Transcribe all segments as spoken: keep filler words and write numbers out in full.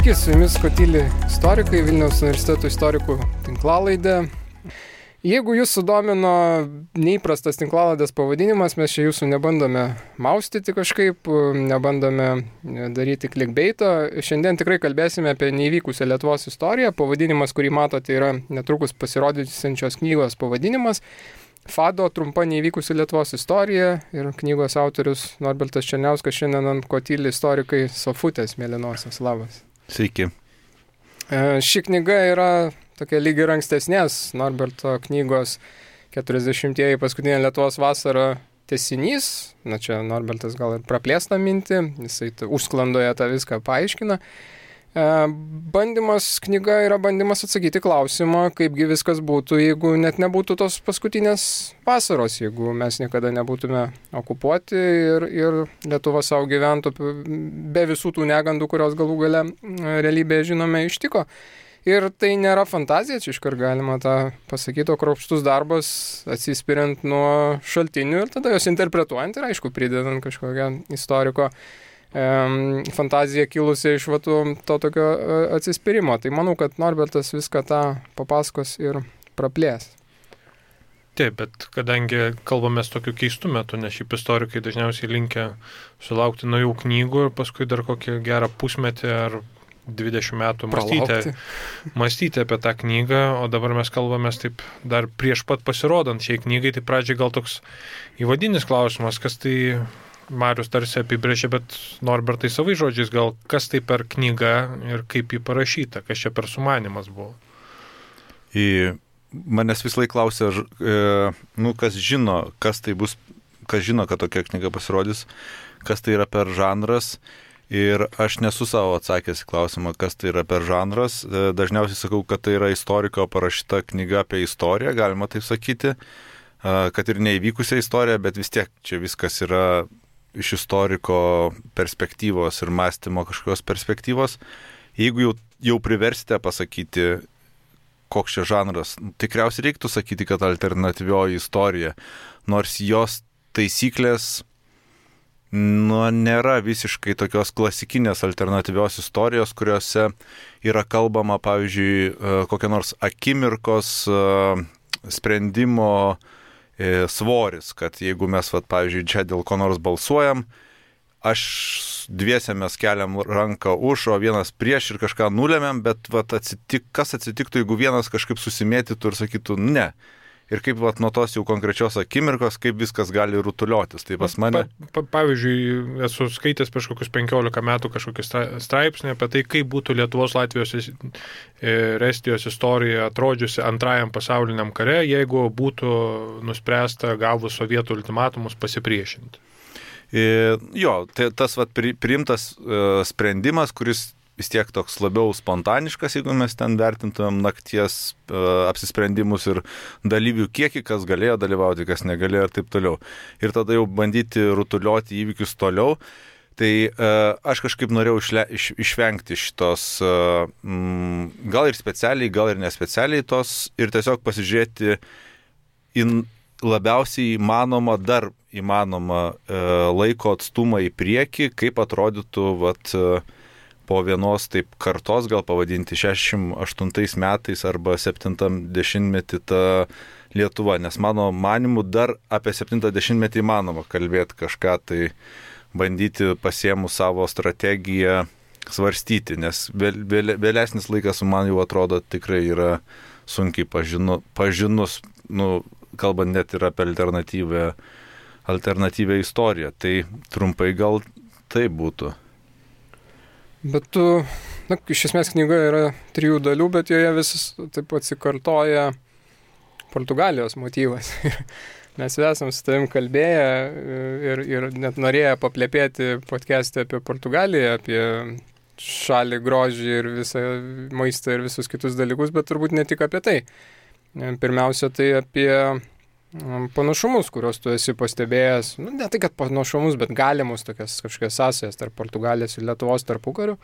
Sveiki, su jumis Kotili istorikai, Vilniaus universiteto istorikų tinklalaidė. Jeigu jūs sudomino neįprastas tinklalaidės pavadinimas, mes čia jūsų nebandome maustyti kažkaip, nebandome daryti clickbaito. Šiandien tikrai kalbėsime apie neįvykusią Lietuvos istoriją. Pavadinimas, kurį matote, yra netrukus pasirodysiančios knygos pavadinimas. Fado trumpa neįvykusi Lietuvos istorija ir knygos autorius Norbertas Černiauskas šiandien ant Kotili istorikai sofutės mėlynosios. Labas. Sveiki. Ši knyga yra tokia lyg ir ankstesnės Norberto knygos keturiasdešimtieji paskutinė Lietuvos vasara tęsinys. Na čia Norbertas gal ir praplėstą mintį, jisai užsklandoje tą viską paaiškina. Bandymas, knyga yra bandymas atsakyti klausimą, kaipgi viskas būtų, jeigu net nebūtų tos paskutinės vasaros, jeigu mes niekada nebūtume okupuoti ir, ir Lietuva savo gyventų be visų tų negandų, kurios galų gale realybėje žinome ištiko. Ir tai nėra fantazija, čia iškart galima tą pasakyti, o kruopštus darbas atsispiriant nuo šaltinių ir tada jos interpretuojant ir aišku pridedant kažkokią istoriko fantazija kilusi iš va, to tokio atsispyrimo. Tai manau, kad Norbertas viską tą papasakos ir praplės. Taip, bet kadangi kalbamės tokiu keistu metu, nes šiaip istorikai dažniausiai linkę sulaukti naujų knygų ir paskui dar kokį gerą pusmetį ar dvidešimt metų mąstyti, mąstyti apie tą knygą, o dabar mes kalbamės taip dar prieš pat pasirodant šiai knygai, tai pradžiai gal toks įvadinis klausimas, kas tai Marius tarsi apibrėžė, bet Norbertai savai žodžiais gal kas tai per knyga ir kaip jį parašyta, kas čia per sumanimas buvo. Į manęs vis laik klausia, e, nu, kas žino, kas tai bus, kas žino, kad tokia knyga pasirodys, kas tai yra per žanras. Ir aš nesu savo atsakęs į klausimą, kas tai yra per žanras. E, dažniausiai sakau, kad tai yra istoriko parašyta knyga apie istoriją, galima taip sakyti, e, kad ir neįvykusią istoriją, bet vis tiek čia viskas yra iš istoriko perspektyvos ir mąstymo kažkokios perspektyvos. Jeigu jau, jau priversite pasakyti, koks čia žanras, tikriausiai reiktų sakyti, kad alternatyvioji istorija, nors jos taisyklės nu, nėra visiškai tokios klasikinės alternatyvios istorijos, kuriuose yra kalbama, pavyzdžiui, kokia nors akimirkos sprendimo svoris, kad jeigu mes, vat, pavyzdžiui, čia dėl ko nors balsuojam, aš dviese mes keliam ranką už, o vienas prieš ir kažką nulemiam, bet vat, atsitik, kas atsitiktų, jeigu vienas kažkaip susimėtytų ir sakytų ne. Ir kaip vat, nuo tos jau konkrečios akimirkos, kaip viskas gali rutuliotis. Tai pas mane... Pa, pa, pavyzdžiui, esu skaitęs prieš kokius penkiolika metų kažkokį straipsnį apie tai, kaip būtų Lietuvos, Latvijos ir Estijos istorija atrodžiusi antrajam pasauliniam kare, jeigu būtų nuspręsta gavus sovietų ultimatumus pasipriešinti. E, jo, tai tas vat, pri, priimtas uh, sprendimas, kuris vis tiek toks labiau spontaniškas, jeigu mes ten vertintumėm nakties uh, apsisprendimus ir dalyvių kiekį, kas galėjo dalyvauti, kas negalėjo ir taip toliau. Ir tada jau bandyti rutulioti įvykius toliau. Tai uh, aš kažkaip norėjau išle, iš, išvengti šitos, uh, mm, gal ir specialiai, gal ir nespecialiai tos, ir tiesiog pasižiūrėti į labiausiai įmanoma, dar įmanoma uh, laiko atstumą į priekį, kaip atrodytų vat, uh, po vienos taip kartos, gal pavadinti šešiasdešimt aštuntais metais arba septintam dešimtmetį ta Lietuva, nes mano manimu dar apie septintą dešimtmetį įmanoma kalbėti kažką, tai bandyti pasiėmus savo strategiją svarstyti, nes vėl, vėl, vėlesnis laikas man jau atrodo tikrai yra sunkiai pažinu, pažinus, nu, kalbant net ir apie alternatyvę, alternatyvę istoriją, tai trumpai gal tai būtų. Bet tu, na, iš esmės knyga yra trijų dalių, bet joje visas taip atsikartoja Portugalijos motyvas. Mes esam su tavim kalbėję ir, ir net norėję paplėpėti podcast'e apie Portugaliją, apie šalį, grožį ir visą maistą ir visus kitus dalykus, bet turbūt ne tik apie tai. Pirmiausia, tai apie panašumus, kuriuos tu esi pastebėjęs, nu, ne tai, kad panašumus, bet galimus tokias kažkokias sąsajas tarp Portugalijos ir Lietuvos tarpukarių.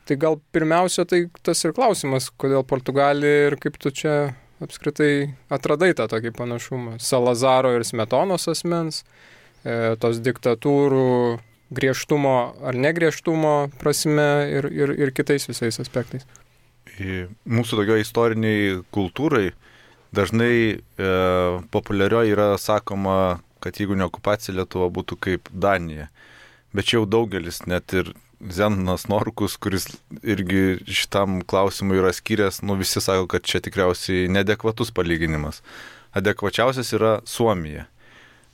Tai gal pirmiausia, tai tas ir klausimas, kodėl Portugalija ir kaip tu čia apskritai atradai tą tokį panašumą. Salazaro ir Smetonos asmens, e, tos diktatūrų griežtumo ar negriežtumo prasme ir, ir, ir kitais visais aspektais. Mūsų tokio istoriniai kultūrai dažnai e, populiarioji yra sakoma, kad jeigu ne okupacija, Lietuva būtų kaip Danija. Bet čia jau daugelis, net ir Zenonas Norkus, kuris irgi šitam klausimui yra skyręs, nu visi sako, kad čia tikriausiai neadekvatus palyginimas. Adekvačiausias yra Suomija.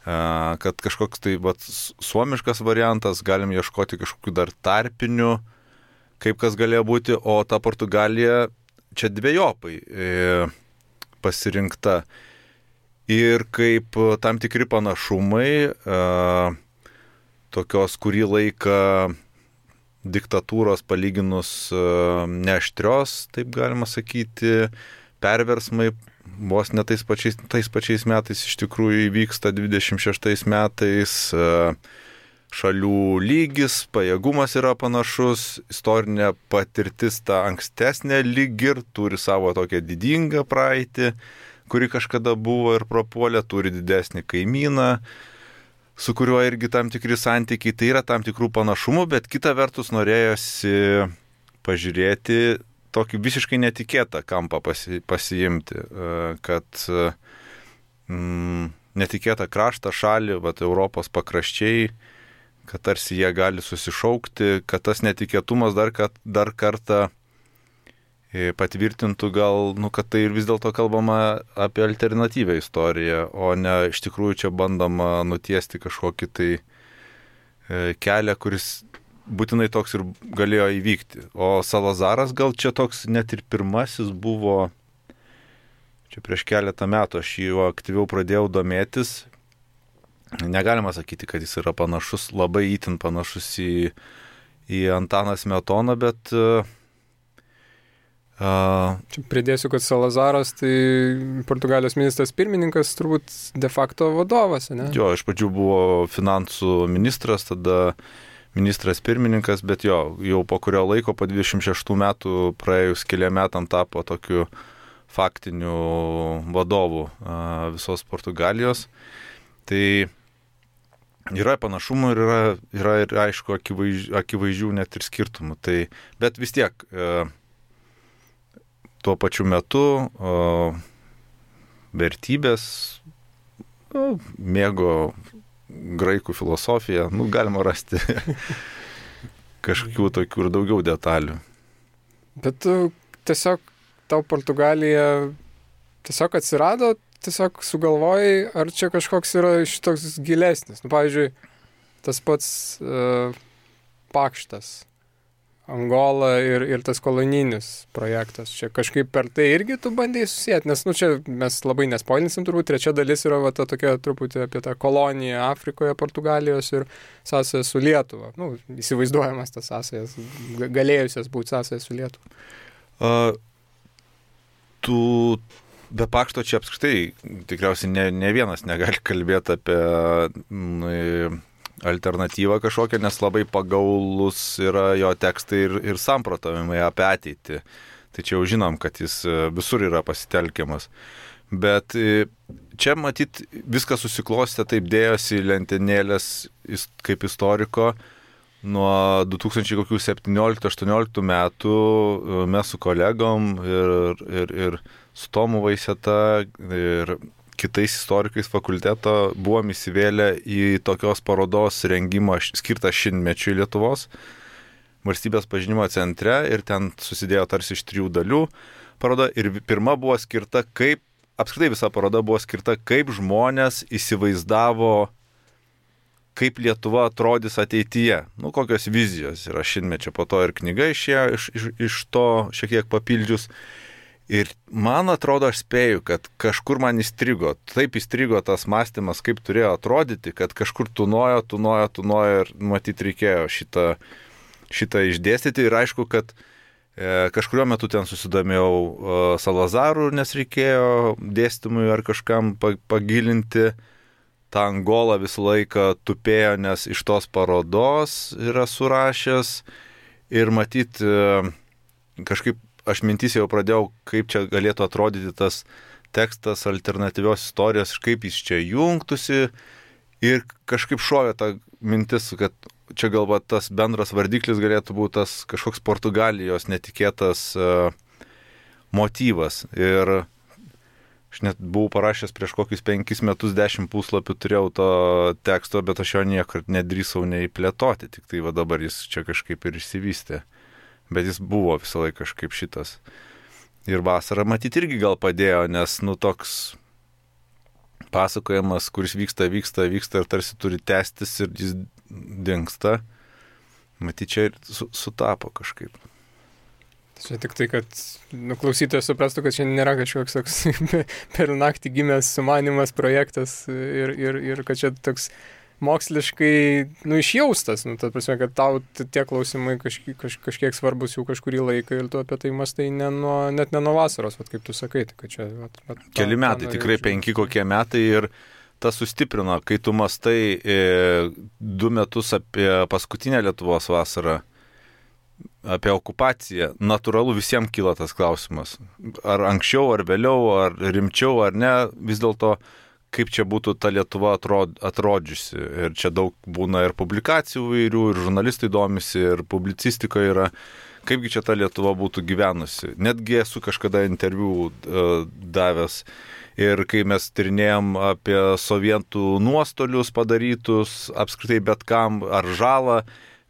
Kad kažkoks tai vat, suomiškas variantas, galim ieškoti kažkokių dar tarpinių, kaip kas galėjo būti, o ta Portugalija čia dviejopai pasirinkta. Ir kaip tam tikri panašumai, tokios kurį laiką diktatūros palyginus neaštrios, taip galima sakyti, perversmai vos ne tais pačiais, tais pačiais metais iš tikrųjų įvyksta dvidešimt šeštais metais, šalių lygis, pajėgumas yra panašus, istorinė patirtis ta ankstesnė lyg ir turi savo tokią didingą praeitį, kuri kažkada buvo ir prapuolė, turi didesnį kaimyną, su kuriuo irgi tam tikri santykiai, tai yra tam tikrų panašumų, bet kita vertus norėjosi pažiūrėti tokį visiškai netikėtą kampą pasi, pasiimti, kad mm, netikėtą kraštą, šalį, vat, Europos pakraščiai, kad tarsi jie gali susišaukti, kad tas netikėtumas dar, kad, dar kartą patvirtintų gal, nu, kad tai ir vis dėlto kalbama apie alternatyvę istoriją, o ne iš tikrųjų čia bandoma nutiesti kažkokį tai kelią, kuris būtinai toks ir galėjo įvykti. O Salazaras gal čia toks net ir pirmasis buvo, čia prieš keletą metų aš jį aktyviau pradėjau domėtis. Negalima sakyti, kad jis yra panašus, labai itin panašus į, į Antaną Smetoną, bet Uh, Čia pridėsiu, kad Salazaras tai Portugalijos ministras pirmininkas, turbūt de facto vadovas, ne? Jo, iš pradžių buvo finansų ministras, tada ministras pirmininkas, bet jo, jau po kurio laiko, po dvidešimt šeštų metų, praėjus keliam metam tapo tokiu faktiniu vadovu uh, visos Portugalijos. Tai yra panašumų ir yra, yra ir aišku akivaizdžių, akivaizdžių net ir skirtumų. Tai, bet vis tiek uh, tuo pačiu metu o, vertybės, o, mėgo graikų filosofiją, nu, galima rasti kažkokių tokių ir daugiau detalių. Bet tu tiesiog, tau Portugalija tiesiog atsirado, tiesiog sugalvojai, ar čia kažkoks yra šitoks gilesnis. Nu, pavyzdžiui, tas pats uh, Pakštas, Angola ir, ir tas kolonijinis projektas. Čia kažkaip per tai irgi tu bandai susijęti, nes nu, čia mes labai nespoilinsim, turbūt trečia dalis yra va, ta tokia truputį apie tą koloniją Afrikoje, Portugalijos ir sąsają su Lietuva. Nu, įsivaizduojamas tas sąsajas, galėjusias būti sąsajas su Lietuva. Uh, tu be Pakšto čia apskritai tikriausiai ne, ne vienas negali kalbėti apie mm, alternatyvą kažkokią, nes labai pagaulus yra jo tekstai ir, ir samprotavimai apie ateitį. Tai čia jau žinom, kad jis visur yra pasitelkiamas. Bet čia matyt viskas susiklostė, taip dėjosi lentynėlės kaip istoriko. Nuo du tūkstančiai septynioliktų aštuonioliktų metų mes su kolegom ir, ir, ir su Tomu Vaiseta ir kitais istorikais fakulteto buvom įsivėlę į tokios parodos rengimą skirtą šimtmečiui Lietuvos valstybės pažinimo centre ir ten susidėjo tarsi iš trijų dalių paroda ir pirma buvo skirta kaip, apskritai visa paroda buvo skirta kaip žmonės įsivaizdavo, kaip Lietuva atrodys ateityje, nu kokios vizijos yra šimtmečio, po to ir knyga išėjo iš, iš, iš to šiek tiek papildžius. Ir man atrodo, aš spėju, kad kažkur man įstrigo, taip įstrigo tas mąstymas, kaip turėjo atrodyti, kad kažkur tunojo, tunojo, tunojo ir matyti reikėjo šitą, šitą išdėstyti. Ir aišku, kad e, kažkurio metu ten susidomėjau e, Salazaru, nes reikėjo dėstymui ar kažkam pagilinti. Ta Angola visą laiką tupėjo, nes iš tos parodos yra surašęs ir matyti e, kažkaip aš mintis jau pradėjau, kaip čia galėtų atrodyti tas tekstas alternatyvios istorijos, kaip jis čia jungtųsi ir kažkaip šovė ta mintis, kad čia galbūt tas bendras vardiklis galėtų būti tas kažkoks Portugalijos netikėtas uh, motyvas. Ir aš net buvau parašęs prieš kokius penkis metus, dešimt puslapių turėjau to teksto, bet aš jo niekart nedrįsau nei plėtoti, tik tai va dabar jis čia kažkaip ir išsivystė. Bet jis buvo visą laiką kažkaip šitas. Ir vasara matyti irgi gal padėjo, nes nu toks pasakojimas, kuris vyksta, vyksta, vyksta ir tarsi turi tęstis ir jis dingsta. Matyti čia ir su, sutapo kažkaip. Čia tik tai, kad nu, klausytojas suprastų, kad čia nėra kažkoks toks per naktį gimęs sumanimas, projektas ir, ir, ir kad čia toks moksliškai nu, išjaustas. Nu, ta prasme, kad tau tie klausimai kažkiek, kaž, kažkiek svarbus jau kažkurį laiką ir tu apie tai mastai ne nuo, net ne nuo vasaros, vat, kaip tu sakai. Tai, kad čia, vat, vat, Keli metai, tikrai penki kokie metai ir tas sustiprino, kai tu mastai e, du metus apie paskutinę Lietuvos vasarą, apie okupaciją, natūralu visiems kyla tas klausimas. Ar anksčiau, ar vėliau, ar rimčiau, ar ne, vis dėlto, kaip čia būtų ta Lietuva atrod, atrodžiusi. Ir čia daug būna ir publikacijų vairių, ir žurnalistai domisi, ir publicistika yra, kaipgi čia ta Lietuva būtų gyvenusi. Netgi esu kažkada interviu uh, davęs. Ir kai mes tyrinėjom apie sovietų nuostolius padarytus, apskritai bet kam, ar žalą,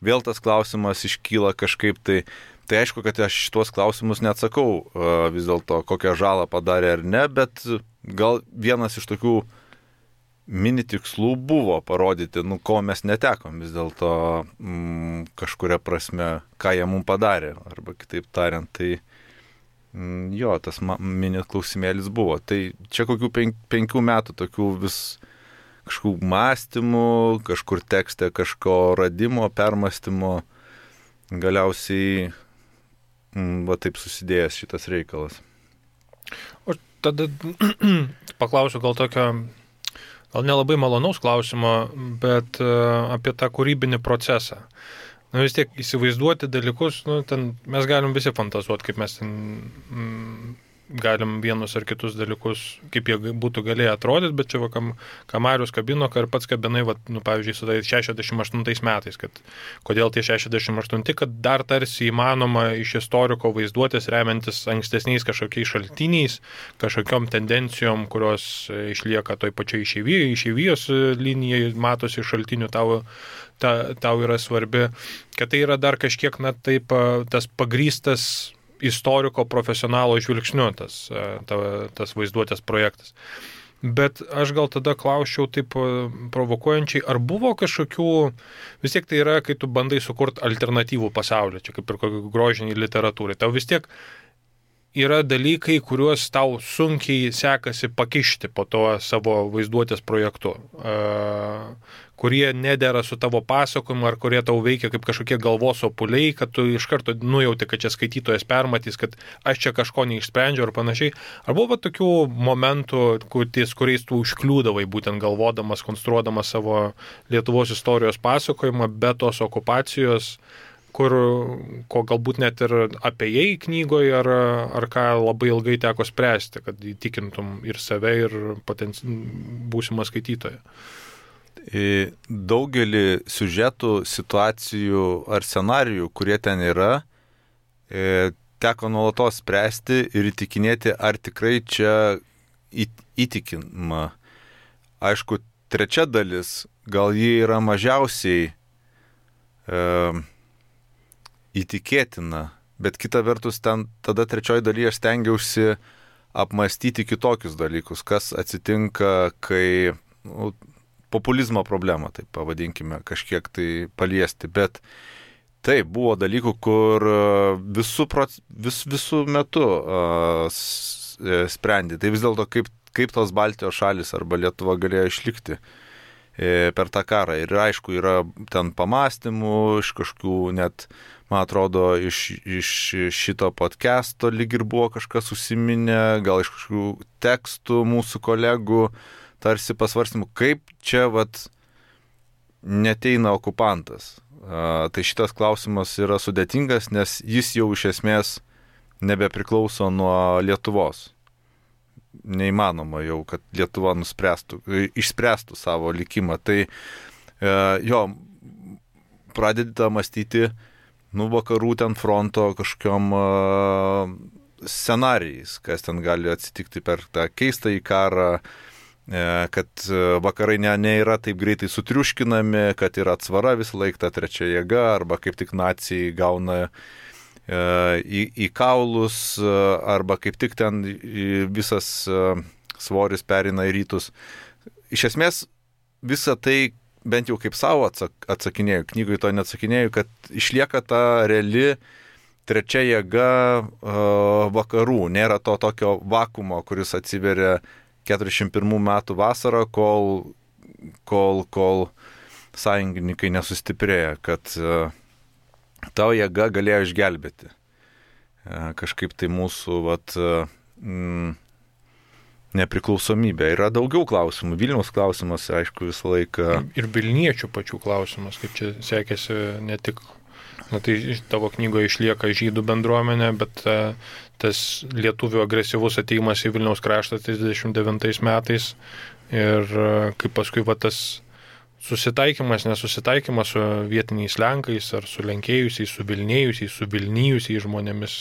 vėl tas klausimas iškyla kažkaip tai. Tai aišku, kad aš šitos klausimus neatsakau vis dėlto, kokią žalą padarė ar ne, bet gal vienas iš tokių mini tikslų buvo parodyti, nu, ko mes netekom vis dėlto mm, kažkuria prasme, ką jie mums padarė. Arba kitaip tariant, tai mm, jo, tas mini klausimėlis buvo. Tai čia kokių penk, penkių metų tokių vis kažkokių mąstymų, kažkur tekste kažko radimo, permąstymo, galiausiai mm, va taip susidėjęs šitas reikalas. O tada paklausiu gal tokio, gal nelabai malonaus klausimo, bet uh, apie tą kūrybinį procesą. Nu vis tiek įsivaizduoti dalykus, nu ten mes galim visi fantazuoti, kaip mes ten mm, galim vienus ar kitus dalykus, kaip jie būtų galėję atrodyti, bet čia va, kam, ką Marius kabino, ką ir pats kabinai, va, nu, pavyzdžiui, su tai šešiasdešimt aštuntais metais, kad kodėl tie šešiasdešimt aštunti, kad dar tarsi įmanoma iš istoriko vaizduotės remiantis ankstesniais kažkokiais šaltiniais, kažkokiom tendencijom, kurios išlieka toj pačiai išeivijos, išeivijos linijai, matosi šaltinių, tau, ta, tau yra svarbi, kad tai yra dar kažkiek, na, taip, tas pagrįstas istoriko profesionalo žvilgsniu tas, ta, tas vaizduotės projektas. Bet aš gal tada klausčiau taip provokuojančiai, ar buvo kažkokių, vis tiek tai yra, kai tu bandai sukurti alternatyvų pasaulį, čia kaip ir kokį grožinį literatūrai, tau vis tiek yra dalykai, kuriuos tau sunkiai sekasi pakišti po to savo vaizduotės projektu, kurie nedera su tavo pasakojimu ar kurie tau veikia kaip kažkokie galvos opuliai, kad tu iš karto nujauti, kad čia skaitytojas permatys, kad aš čia kažko neišsprendžiu ar panašiai. Ar buvo tokių momentų, ties kuriais tu užkliūdavai, būtent galvodamas, konstruodamas savo Lietuvos istorijos pasakojimą be tos okupacijos, kur, ko galbūt net ir apėjai knygoje, ar, ar ką labai ilgai teko spręsti, kad įtikintum ir save, ir potenci... būsimą skaitytoją? Daugelį siužetų, situacijų ar scenarijų, kurie ten yra, teko nuolatos spręsti ir įtikinėti, ar tikrai čia įtikinama. Aišku, trečia dalis, gal ji yra mažiausiai e, įtikėtina, bet kita vertus, ten tada trečioji dalyje aš stengiausi apmastyti kitokius dalykus, kas atsitinka, kai nu, populizmo problemą, taip pavadinkime, kažkiek tai paliesti, bet taip, buvo dalykų, kur visų, vis, visų metų uh, sprendė. Tai vis dėlto, kaip, kaip tos Baltijos šalis arba Lietuva galėjo išlikti e, per tą karą. Ir aišku, yra ten pamastymų, iš kažkokių net, man atrodo, iš, iš šito podcast'o lyg ir buvo kažkas užsiminę, gal iš kažkokių tekstų mūsų kolegų, tarsi pasvarstymų, kaip čia vat neteina okupantas. A, tai šitas klausimas yra sudėtingas, nes jis jau iš esmės nebepriklauso nuo Lietuvos. Neįmanoma jau, kad Lietuva nuspręstų, išspręstų savo likimą. Tai e, jo, pradedi mąstyti, nu, vakarų ten fronto kažkokiom uh, scenarijais, kas ten gali atsitikti per tą keistą į karą, kad vakarai ne, nėra taip greitai sutriuškinami, kad yra atsvara visą laiką ta trečia jėga, arba kaip tik nacijai gauna e, į, į kaulus, arba kaip tik ten visas svoris perina į rytus. Iš esmės, visą tai, bent jau kaip savo atsak, atsakinėjau, knygoje to neatsakinėjau, kad išlieka ta reali trečia jėga e, vakarų. Nėra to tokio vakumo, kuris atsiveria keturiasdešimt pirmų metų vasarą, kol, kol, kol sąjungininkai nesustiprėja, kad uh, tavo jėga galėjo išgelbėti. Uh, kažkaip tai mūsų vat, uh, mm, nepriklausomybė. Yra daugiau klausimų. Vilniaus klausimas, aišku, visą laiką. Ir Vilniečių pačių klausimas, kaip čia sekėsi ne tik, na tai tavo knygoje išlieka žydų bendruomenė, bet uh, tas lietuvių agresyvus ateimas į Vilniaus kraštą trisdešimt devintais metais ir kaip paskui va, tas susitaikymas, nesusitaikymas su vietiniais lenkais ar su lenkėjusiais, su vilnėjusiais, su vilnijusiais žmonėmis.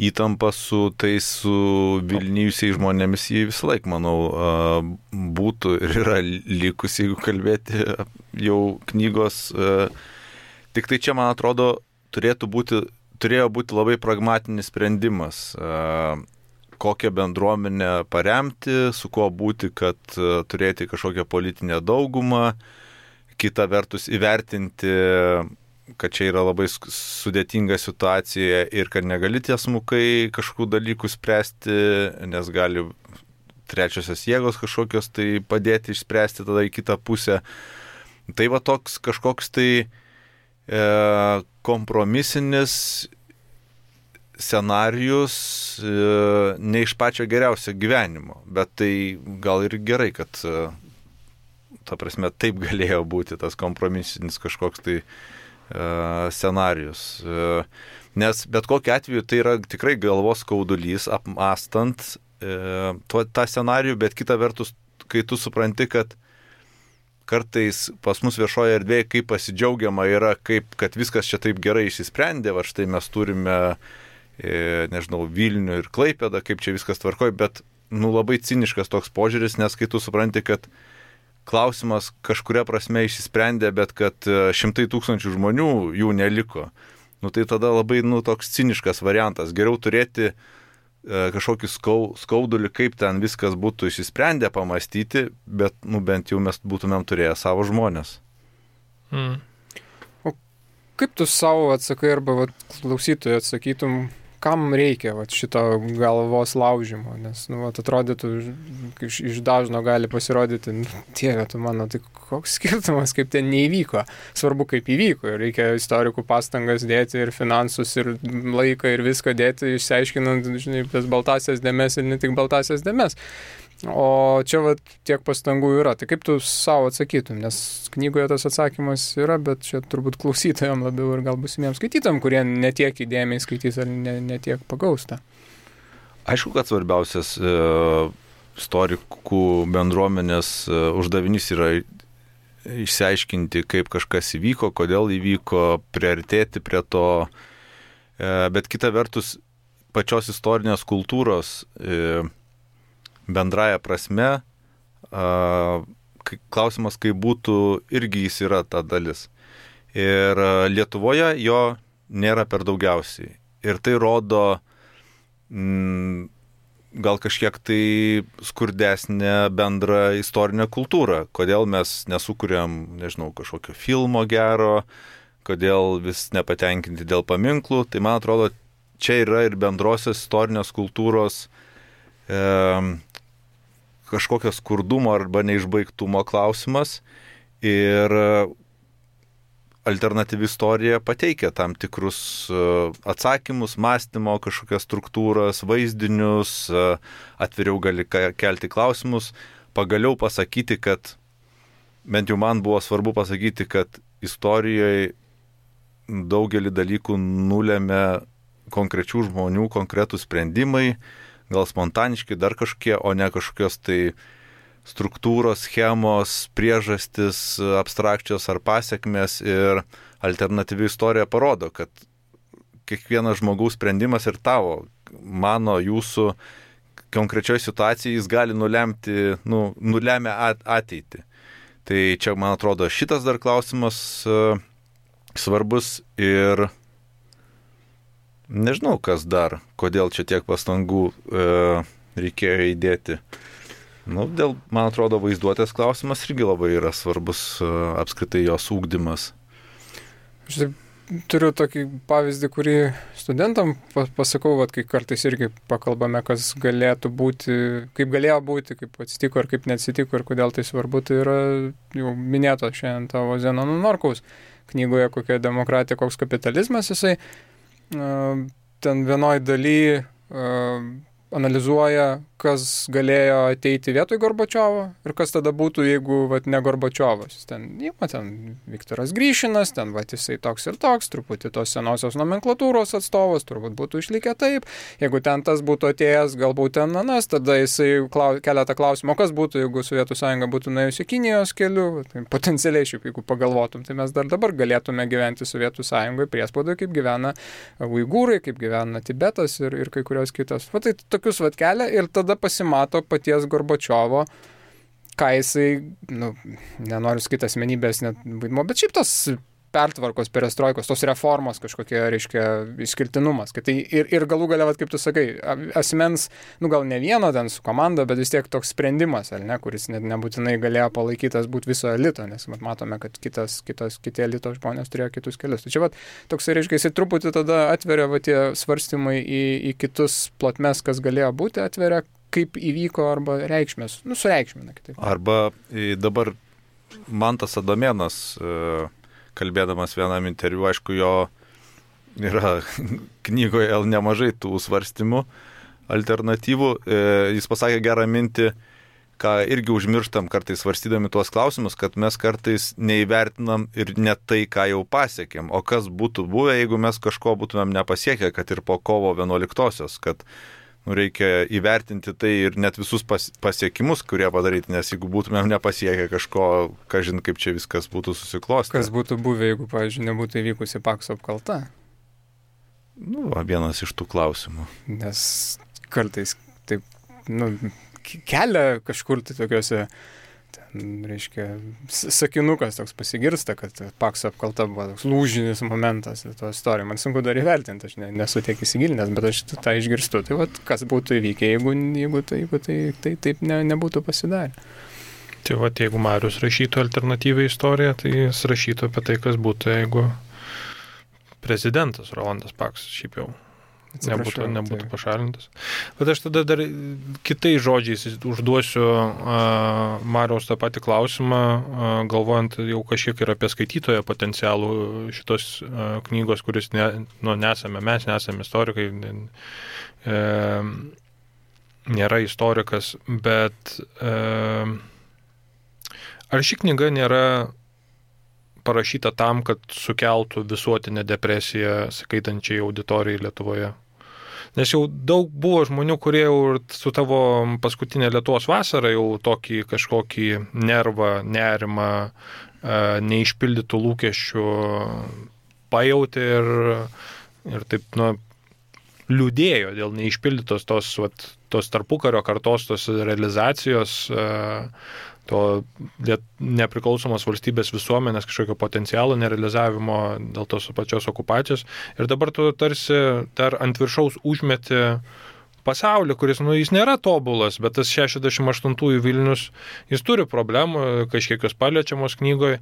Įtampa su tais su vilnijusiais žmonėmis jį visą laiką, manau, būtų ir yra likusi, jeigu kalbėti jau knygos. Tik tai čia, man atrodo, turėtų būti turėjo būti labai pragmatinis sprendimas, kokią bendruomenę paremti, su kuo būti, kad turėti kažkokią politinę daugumą, kita vertus įvertinti, kad čia yra labai sudėtinga situacija ir kad negali tiesmukai kažkokių dalykų spręsti, nes gali trečiosios jėgos kažkokios tai padėti išspręsti tada į kitą pusę. Tai va toks kažkoks tai kompromisinis scenarijus ne iš pačio geriausio gyvenimo, bet tai gal ir gerai, kad ta prasme taip galėjo būti tas kompromisinis kažkoks tai scenarijus. Nes bet kokiu atveju tai yra tikrai galvos skaudulys apmastant tą scenarijų, bet kita vertus, kai tu supranti, kad kartais pas mus viešoje erdvėje kaip pasidžiaugiama yra, kaip, kad viskas čia taip gerai išsisprendė, va štai mes turime, e, nežinau, Vilnių ir Klaipėdą, kaip čia viskas tvarkoja, bet nu, labai ciniškas toks požiūris, nes kai tu supranti, kad klausimas kažkuria prasme išsisprendė, bet kad šimtai tūkstančių žmonių jų neliko, nu, tai tada labai nu, toks ciniškas variantas. Geriau turėti kažkokį skaudulį, kaip ten viskas būtų išsisprendę pamastyti, bet nu, bent jau mes būtumėm turėję savo žmonės. Mm. O kaip tu savo atsakai arba vat, klausytojui atsakytum, kam reikia vat, šito galvos laužimo? Nes nu, vat, atrodytų, iš, iš dažno gali pasirodyti, nu, Dieve, tu mano, tai koks skirtumas, kaip ten neįvyko. Svarbu, kaip įvyko. Reikia istorikų pastangas dėti ir finansus, ir laiką, ir viską dėti, išsiaiškinant, žinai, tas baltasias dėmes ir ne tik baltasias dėmes. O čia vat, tiek pastangų yra. Tai kaip tu savo atsakytum? Nes knygoje tas atsakymas yra, bet čia turbūt klausytojams labiau ir gal būsimiems skaitytam, kurie netiek įdėmiai skaitys ar ne, netiek pagausta. Aišku, kad svarbiausias e, istorikų bendruomenės e, uždavinys yra išsiaiškinti, kaip kažkas įvyko, kodėl įvyko, priartėti prie to. E, bet kita vertus, pačios istorinės kultūros e, bendraja prasme, klausimas, kaip būtų, irgi jis yra ta dalis. Ir Lietuvoje jo nėra per daugiausiai. Ir tai rodo m, gal kažkiek tai skurdesnę bendrą istorinę kultūrą. Kodėl mes nesukuriam, nežinau, kažkokio filmo gero, kodėl vis nepatenkinti dėl paminklų. Tai man atrodo, čia yra ir bendrosios istorinės kultūros e, kažkokio skurdumo arba neišbaigtumo klausimas ir alternatyvi istorija pateikia tam tikrus atsakymus, mąstymo, kažkokias struktūras, vaizdinius, atviriau gali kelti klausimus, pagaliau pasakyti, kad bent jau man buvo svarbu pasakyti, kad istorijoje daugelį dalykų nulėmė konkrečių žmonių, konkretų sprendimai, gal spontaniški, dar kažkokie, o ne kažkokios tai struktūros, schemos, priežastis, abstrakčios ar pasiekmes ir alternatyvi istorija parodo, kad kiekvienas žmogaus sprendimas ir tavo, mano, jūsų konkrečioje situacijoje jis gali nulemti, nu, nulemia ateitį. Tai čia, man atrodo, šitas dar klausimas uh, svarbus ir nežinau, kas dar, kodėl čia tiek pastangų uh, reikėjo įdėti. Nu, dėl, man atrodo, vaizduotės klausimas irgi labai yra svarbus, uh, apskritai jos ūkdymas. Aš turiu tokį pavyzdį, kurį studentam pasakau, vat, kai kartais irgi pakalbame, kas galėtų būti, kaip galėjo būti, kaip atsitiko ir kaip neatsitiko ir kodėl tai svarbu, tai yra jau minėto šiandien tavo Zenono Norkaus knygoje Kokia demokratija, koks kapitalizmas, jisai uh, ten vienoj daly uh, analizuoja, kas galėjo ateiti vietoj Gorbačiovo ir kas tada būtų, jeigu vat, ne Gorbačiovas. Ten, ima, ten Viktoras Gryšinas, ten vat, jisai toks ir toks, truputį tos senosios nomenklatūros atstovas, turbūt būtų išlikę taip. Jeigu ten tas būtų atėjęs, galbūt ten anas, tada jisai klau, keletą klausimų, kas būtų, jeigu Sovietų sąjunga būtų nuėjusi Kinijos keliu. Tai potencialiai šiaip, jeigu pagalvotum, tai mes dar dabar galėtume gyventi Sovietų sąjungoje priespaudoje, kaip gyvena uigūrai, kaip gyvena Tibetas ir, ir kai kurios kitos. Va, tai tokius vat kelia ir tada pasimato paties Gorbačiovo, ką jisai, nu, nenoriu sakyti asmenybės net vaidmo, bet šiaip tos pertvarkos, perestroikos, tos reformos kažkokie, reiškia, išskirtinumas. Kad tai ir, ir galų galia, vat, kaip tu sakai, asmens, nu gal ne vieno ten su komanda, bet vis tiek toks sprendimas, ar ne, kuris net nebūtinai galėjo palaikytas būti viso elito, nes mat, matome, kad kitas, kitas, kiti elito žmonės turėjo kitus kelius. Tai čia, vat, toks, reiškia, jisai truputį tada atveria, va, tie svarstymai į, į kitus plotmes, kas galėjo būti, atveria, kaip įvyko, arba reikšmės, nu, sureikšmina kitaip. Arba dabar Mantas Adomėnas, kalbėdamas vienam interviu, aišku, jo yra knygoje nemažai tų svarstymų alternatyvų. Jis pasakė gerą mintį, ką irgi užmirštam kartais svarstydami tuos klausimus, kad mes kartais neįvertinam ir ne tai, ką jau pasiekėm, o kas būtų buvę, jeigu mes kažko būtumėm nepasiekę, kad ir po kovo vienuoliktosios, kad nu, reikia įvertinti tai ir net visus pas, pasiekimus, kurie padaryti, nes jeigu būtumėm nepasiekę kažko, kažin kaip čia viskas būtų susiklostę. Kas būtų buvę, jeigu, pavyzdžiui, nebūtų įvykusi Pakso apkalta? Nu, va, vienas iš tų klausimų. Nes kartais taip, nu, kelia kažkur tai tokiuose, ten, reiškia, sakinukas toks pasigirsta, kad Pakso apkalta buvo toks lūžinis momentas to istorijoje. Man sunku dar įvertinti, aš ne, nesu tiek įsigilinęs, bet aš tą išgirstu. Tai vat, kas būtų įvykę, jeigu, jeigu, tai, jeigu tai, tai taip ne, nebūtų pasidarę. Tai vat, jeigu Marius rašytų alternatyvią istoriją, tai jis rašytų apie tai, kas būtų, jeigu prezidentas Rolandas Paksas šiaip jau nebūtų, nebūtų pašalintas. Bet aš tada dar kitais žodžiais užduosiu uh, Mariaus tą patį klausimą, uh, galvojant jau kažkiek ir apie skaitytoją potencialų šitos uh, knygos, kuris ne, nu, nesame, mes nesame istorikai, ne, e, nėra istorikas, bet e, ar ši knyga nėra parašyta tam, kad sukeltų visuotinę depresiją skaitančiai auditorijai Lietuvoje? Nes jau daug buvo žmonių, kurie jau su tavo paskutinė Lietuvos vasara jau tokį kažkokį nervą, nerimą, neišpildytų lūkesčių pajauti ir, ir taip, nu, liūdėjo dėl neišpildytos tos, vat, tos tarpukario kartos, tos realizacijos, to nepriklausomos valstybės visuomenės kažkokio potencialo nerealizavimo dėl tos pačios okupacijos. Ir dabar tu tarsi dar ant viršaus užmeti pasaulį, kuris, nu, jis nėra tobulas, bet tas šešiasdešimt aštuntųjų Vilnius, jis turi problemų, kažkiekios paliečiamos knygoje,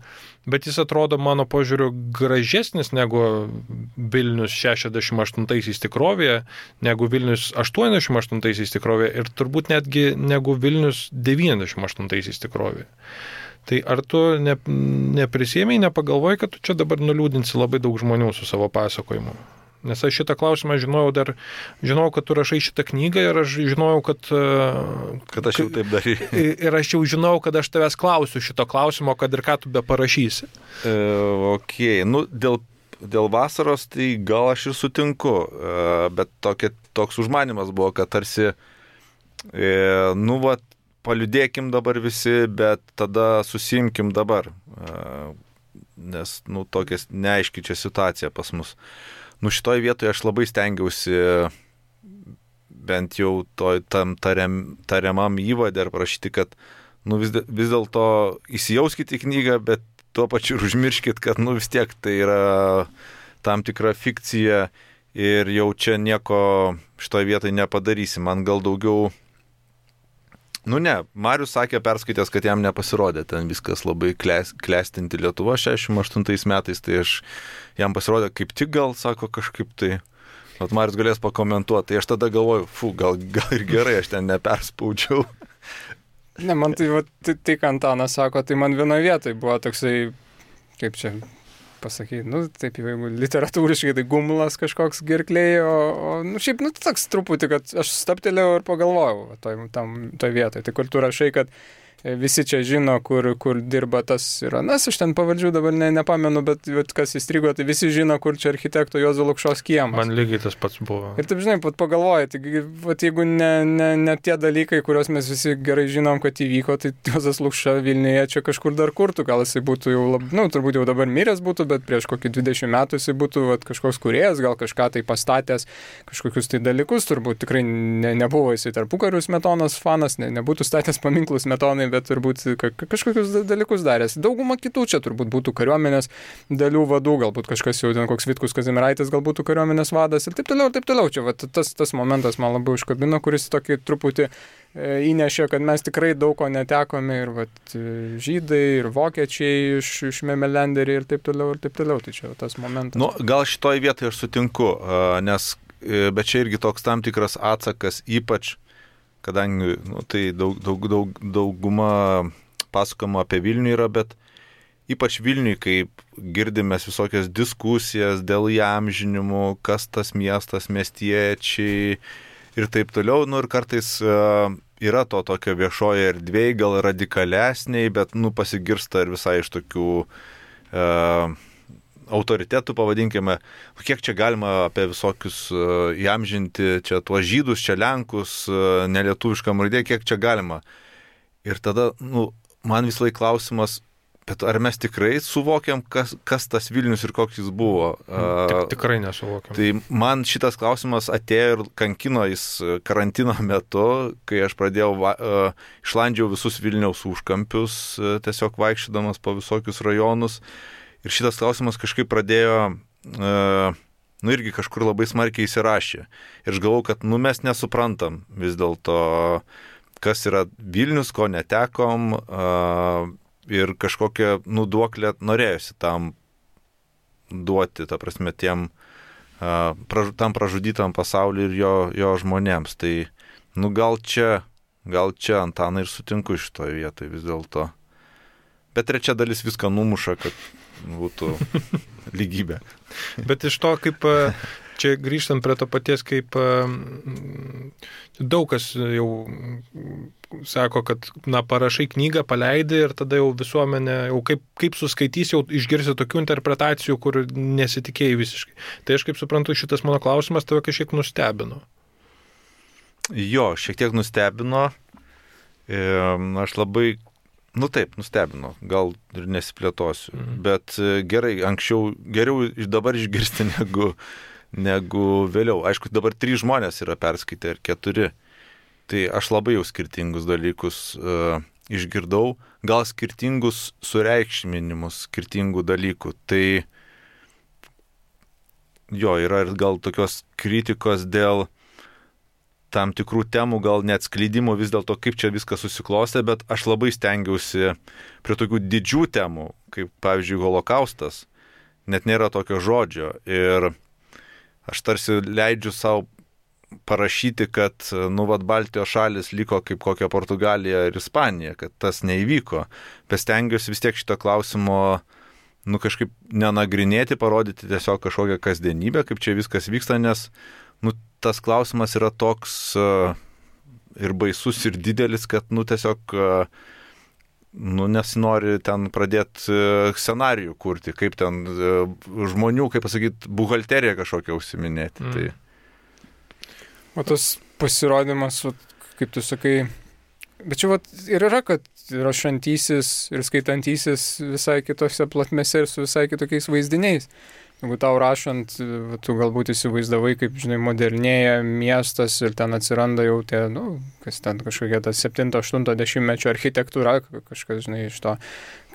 bet jis atrodo, mano požiūriu, gražesnis negu Vilnius šešiasdešimt aštuntaisiais tikrovėje, negu Vilnius aštuoniasdešimt aštuntaisiais tikrovėje ir turbūt netgi negu Vilnius devyniasdešimt aštuntaisiais tikrovėje. Tai ar tu ne, neprisėmei, nepagalvojai, kad tu čia dabar nuliūdinsi labai daug žmonių su savo pasakojimu? Nes aš šitą klausimą žinojau dar, žinojau, kad tu rašai šitą knygą ir aš žinojau, kad... Kad aš jau taip darai. Ir aš jau žinojau, kad aš tavęs klausiu šito klausimo, kad ir ką tu be parašysi. E, ok, nu, dėl, dėl vasaros tai gal aš ir sutinku, e, bet tokia, toks užmanimas buvo, kad tarsi, e, nu, va, paliudėkim dabar visi, bet tada susimkim dabar, nes, nu, tokia neaiški čia situacija pas mus. Nu, šitoj vietoje aš labai stengiausi bent jau to, tam tariam, tariamam įvadė ir prašyti, kad nu, vis, vis dėlto įsijauskite į knygą, bet tuo pačiu ir užmirškit, kad nu, vis tiek tai yra tam tikra fikcija ir jau čia nieko šitoje vietoje nepadarysi. Man gal daugiau... Nu ne, Marius sakė, perskaitęs, kad jam nepasirodė ten viskas labai kles, klestinti Lietuva šešiasdešimt aštuntais metais, tai aš jam pasirodė kaip tik gal, sako, kažkaip tai... Vat Marius galės pakomentuoti, tai aš tada galvoju, fu, gal, gal ir gerai, aš ten neperspaudžiau. Ne, man tai, va, tai, tai ką Antanas sako, tai man vienoje vietoje buvo toksai, kaip čia pasakyti, nu, taip, jeigu literatūriškai, tai gumulas kažkoks girklėje, o, o, nu, šiaip, nu, toks truputį, kad aš staptelėjau ir pagalvojau toj, tam, toj vietoje. Tai kur tu rašai, kad visi čia žino, kur, kur dirba tas ir anas, aš ten pavardžių dabar ne, nepamenu, bet, bet kas įstrigo, tai visi žino, kur čia architekto Juozo Lukšos kiemas. Man lygiai tas pats buvo. Ir taip, žinai, pat pagalvoji, tai, vat, jeigu ne, ne, ne tie dalykai, kuriuos mes visi gerai žinom, kad įvyko, tai Juozas Lukša Vilniuje čia kažkur dar kurtų, gal jisai būtų jau, lab, nu, turbūt jau dabar miręs būtų, bet prieš kokį dvidešimt metų jisai būtų vat, kažkoks kūrėjas, gal kažką tai pastatęs, kažkokius tai dalykus, turbūt tikrai ne, nebuvo jisai tarpukarių Smetonos fanas, ne, nebūtų statęs paminklus Smetonai, bet turbūt kažkokius dalykus daręs. Dauguma kitų čia turbūt būtų kariuomenės dalių vadų, galbūt kažkas jau ten koks Vitkus Kazimieraitis, gal būtų kariuomenės vadas ir taip toliau, ir taip toliau. Čia va, tas, tas momentas man labai užkabino, kuris tokį truputį e, įnešė, kad mes tikrai daug ko netekome ir va, žydai, ir vokiečiai iš, iš Memelenderiai ir taip toliau, ir taip toliau. Tai čia tas momentas. Nu, gal šitoj vietoje aš sutinku, nes, bet čia irgi toks tam tikras atsakas, ypač kadangi nu, tai daug, daug, daug, dauguma pasakoma apie Vilnių yra, bet ypač Vilniui, kaip girdimės visokias diskusijas dėl įamžinimų, kas tas miestas, miestiečiai ir taip toliau, nu ir kartais uh, yra to tokio viešoje erdvėje, gal radikalesniai, bet nu pasigirsta ir visai iš tokių uh, autoritetų, pavadinkime, kiek čia galima apie visokius uh, įamžinti, čia tuos žydus, čia lenkus, uh, nelietuviškam raidė, kiek čia galima. Ir tada, nu, man vis laik klausimas, bet ar mes tikrai suvokiam, kas, kas tas Vilnius ir koks jis buvo? Tik, tikrai nesuvokiam. Tai man šitas klausimas atėjo ir kankino jis karantino metu, kai aš pradėjau, uh, išlandžiau visus Vilniaus užkampius, uh, tiesiog vaikščiodamas po visokius rajonus. Ir šitas klausimas kažkaip pradėjo, uh, nu irgi kažkur labai smarkiai įsirašė. Ir aš galvau, kad nu mes nesuprantam vis dėlto, kas yra Vilnius, ko netekom, uh, ir kažkokią nuduoklę norėjusi tam duoti, ta prasme, tiem, uh, praž, tam pražudytam pasauliu ir jo, jo žmonėms. Tai, nu gal čia, gal čia Antanai ir sutinku šitoje vietoje vis dėlto. Bet trečia dalis viską numuša, kad būtų lygybė. Bet iš to, kaip čia grįžtant prie to paties, kaip daug kas jau sako, kad na, parašai knygą, paleidai ir tada jau visuomenė, jau kaip, kaip suskaitys, jau išgirsi tokių interpretacijų, kur nesitikėjai visiškai. Tai aš kaip suprantu, šitas mano klausimas tave kažkiek nustebino. Jo, šiek tiek nustebino. Aš labai Nu taip, nustebino, gal ir nesiplėtosiu, mhm. bet gerai, anksčiau, geriau dabar išgirsti negu, negu vėliau. Aišku, dabar trys žmonės yra perskaitę ir keturi, tai aš labai jau skirtingus dalykus uh, išgirdau, gal skirtingus sureikšminimus skirtingų dalykų. Tai jo, yra ir gal tokios kritikos dėl tam tikrų temų, gal net skleidimo vis dėlto, kaip čia viskas susiklostė, bet aš labai stengiausi prie tokių didžių temų, kaip pavyzdžiui Holokaustas, net nėra tokio žodžio. Ir aš tarsi leidžiu savo parašyti, kad, nu, vat Baltijos šalis liko kaip kokia Portugalija ir Ispanija, kad tas neįvyko. Bet stengiuosi vis tiek šito klausimo, nu, kažkaip nenagrinėti, parodyti tiesiog kažkokią kasdienybę, kaip čia viskas vyksta, nes, nu, tas klausimas yra toks uh, ir baisus ir didelis, kad, nu, tiesiog, uh, nu, nesinori ten pradėti uh, scenarijų kurti, kaip ten uh, žmonių, kaip pasakyti, buhalteriją kažkokią užsiminėti. Mm. Tai. O tas pasirodymas, kaip tu sakai, Bet čia vat, ir yra, kad rašantysis ir skaitantysis visai kitose platmėse ir su visai kitokiais vaizdiniais. Jeigu tau rašant, tu galbūt įsivaizdavai, kaip, žinai, modernėja miestas ir ten atsiranda jau tie, nu, kas ten kažkokia ta septinto aštunto dešimtmečio architektūra, kažkas, žinai, iš to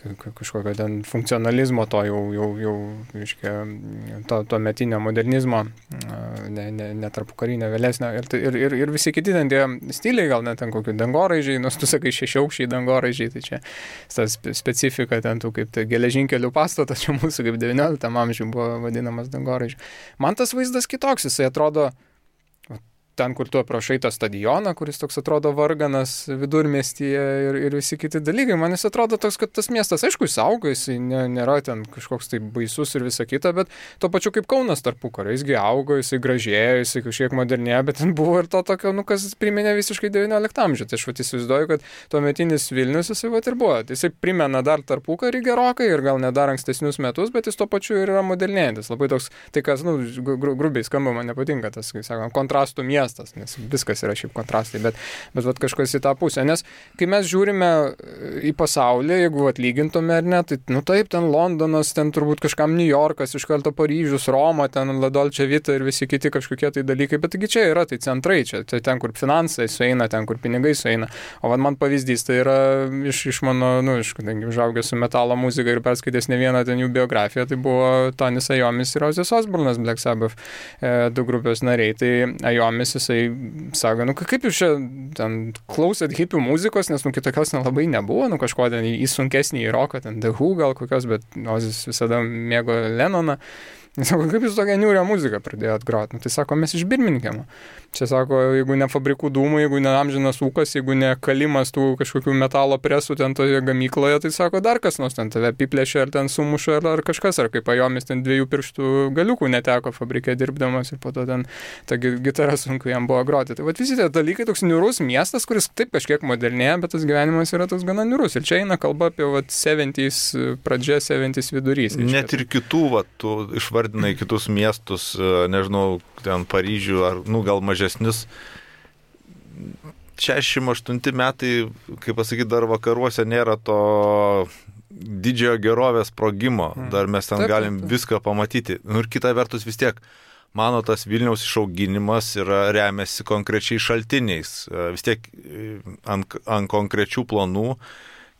kažkokio ten funkcionalizmo, to jau, jau, jau reiškia, to, to metinio modernizmo, ne, ne, ne tarpukarinio, vėlesnio. Ir, ir, ir, ir visi kiti ten tie stiliai, gal net ten kokių dangoraižiai, nors tu sakai šešiaukščiai dangoraižiai, tai čia ta specifika ten tų kaip tai geležinkelių pastatas, čia mūsų kaip devynioliktam amžiuje buvo vadinamas dangoraižiu. Man tas vaizdas kitoks, jisai atrodo ten, kur tu aprašai tą stadioną, kuris toks atrodo varganas vidurmiestyje ir, ir visi kiti dalykai. Man jis atrodo toks, kad tas miestas, aišku, jis auga, jis nė, nėra ten kažkoks tai baisus ir visa kita, bet tuo pačiu kaip Kaunas tarpukario. Jisgi augo, jisai gražėjo, jisai kažkiek modernėjo, bet ten buvo ir to tokio, nu, kas priminė visiškai devynioliktą amžių. Tai aš vat įsivaizduoju, kad tuometinis Vilnius jisai vat ir buvo. Jisai primena dar tarpukarį gerokai ir gal net dar ankstesnius metus, bet jis tuo pačiu ir yra modernėjantis. Labai toks, tai kas, nu, grubiai skamba, man nepatinka tas, kai sakoma, kontrastų miestas. Nes viskas yra šiaip kontrastai, bet, bet vat, kažkas į tą pusę. Nes kai mes žiūrime į pasaulį, jeigu atlygintume ar ne, tai nu taip, ten Londonas, ten turbūt kažkam New Yorkas, iš karto Paryžius, Roma, ten La Dolce Vita ir visi kiti kažkokie tai dalykai, bet taigi čia yra, tai centrai, čia tai ten, kur finansai sueina, ten, kur pinigai sueina. O vad man pavyzdys, tai yra iš, iš mano, nu, iš kadangi užaugęs su metalo muzika ir perskaitęs ne vieną ten jų biografiją, tai buvo Tonis Ajomis ir Ozzy Osbournas, Black Sabbath, e, du grupės nariai. Tai Ajomis jisai sako, nu kaip jūs čia ten klausėt hipių muzikos, nes nu kitokios nelabai nebuvo, nu kažko ten į sunkesnį į roką, ten The Who gal kokios, bet Ozis visada mėgo Lennoną. Jis sako, kaip jūs tokią niūrią muziką pradėjot groti? Nu, tai sako, mes iš Birmingemo. Čia sako, jeigu ne fabrikų dūmų, jeigu ne amžinas ūkas, jeigu ne kalimas tų kažkokių metalo presų ten toje gamykloje, tai sako, dar kas nors ten tave apiplėšia ar ten sumuša ar, ar kažkas, ar kaip Ajomis ten dviejų pirštų galiukų neteko fabrike dirbdamas ir po to ten ta gitara sunku jam buvo groti. Tai vat visi tie dalykai, toks niūrus miestas, kuris taip kažkiek modernėja, bet tas gyvenimas yra toks gana niūrus. Ir čia eina kalba apie vat septyniasdešimt pradžia, septyniasdešimt vidurys. Net ir kitų, vat, tu išvardinai kitus miestus, nežinau, ten Paryžių ar, nu, gal mažesnis. šešiasdešimt aštunti metai, kaip pasakyti, dar vakaruose nėra to didžiojo gerovės sprogimo. Dar mes ten taip, galim taip, taip. viską pamatyti. Nu, ir kita vertus vis tiek, mano tas Vilniaus išauginimas yra remiasi konkrečiai šaltiniais. Vis tiek ant, ant konkrečių planų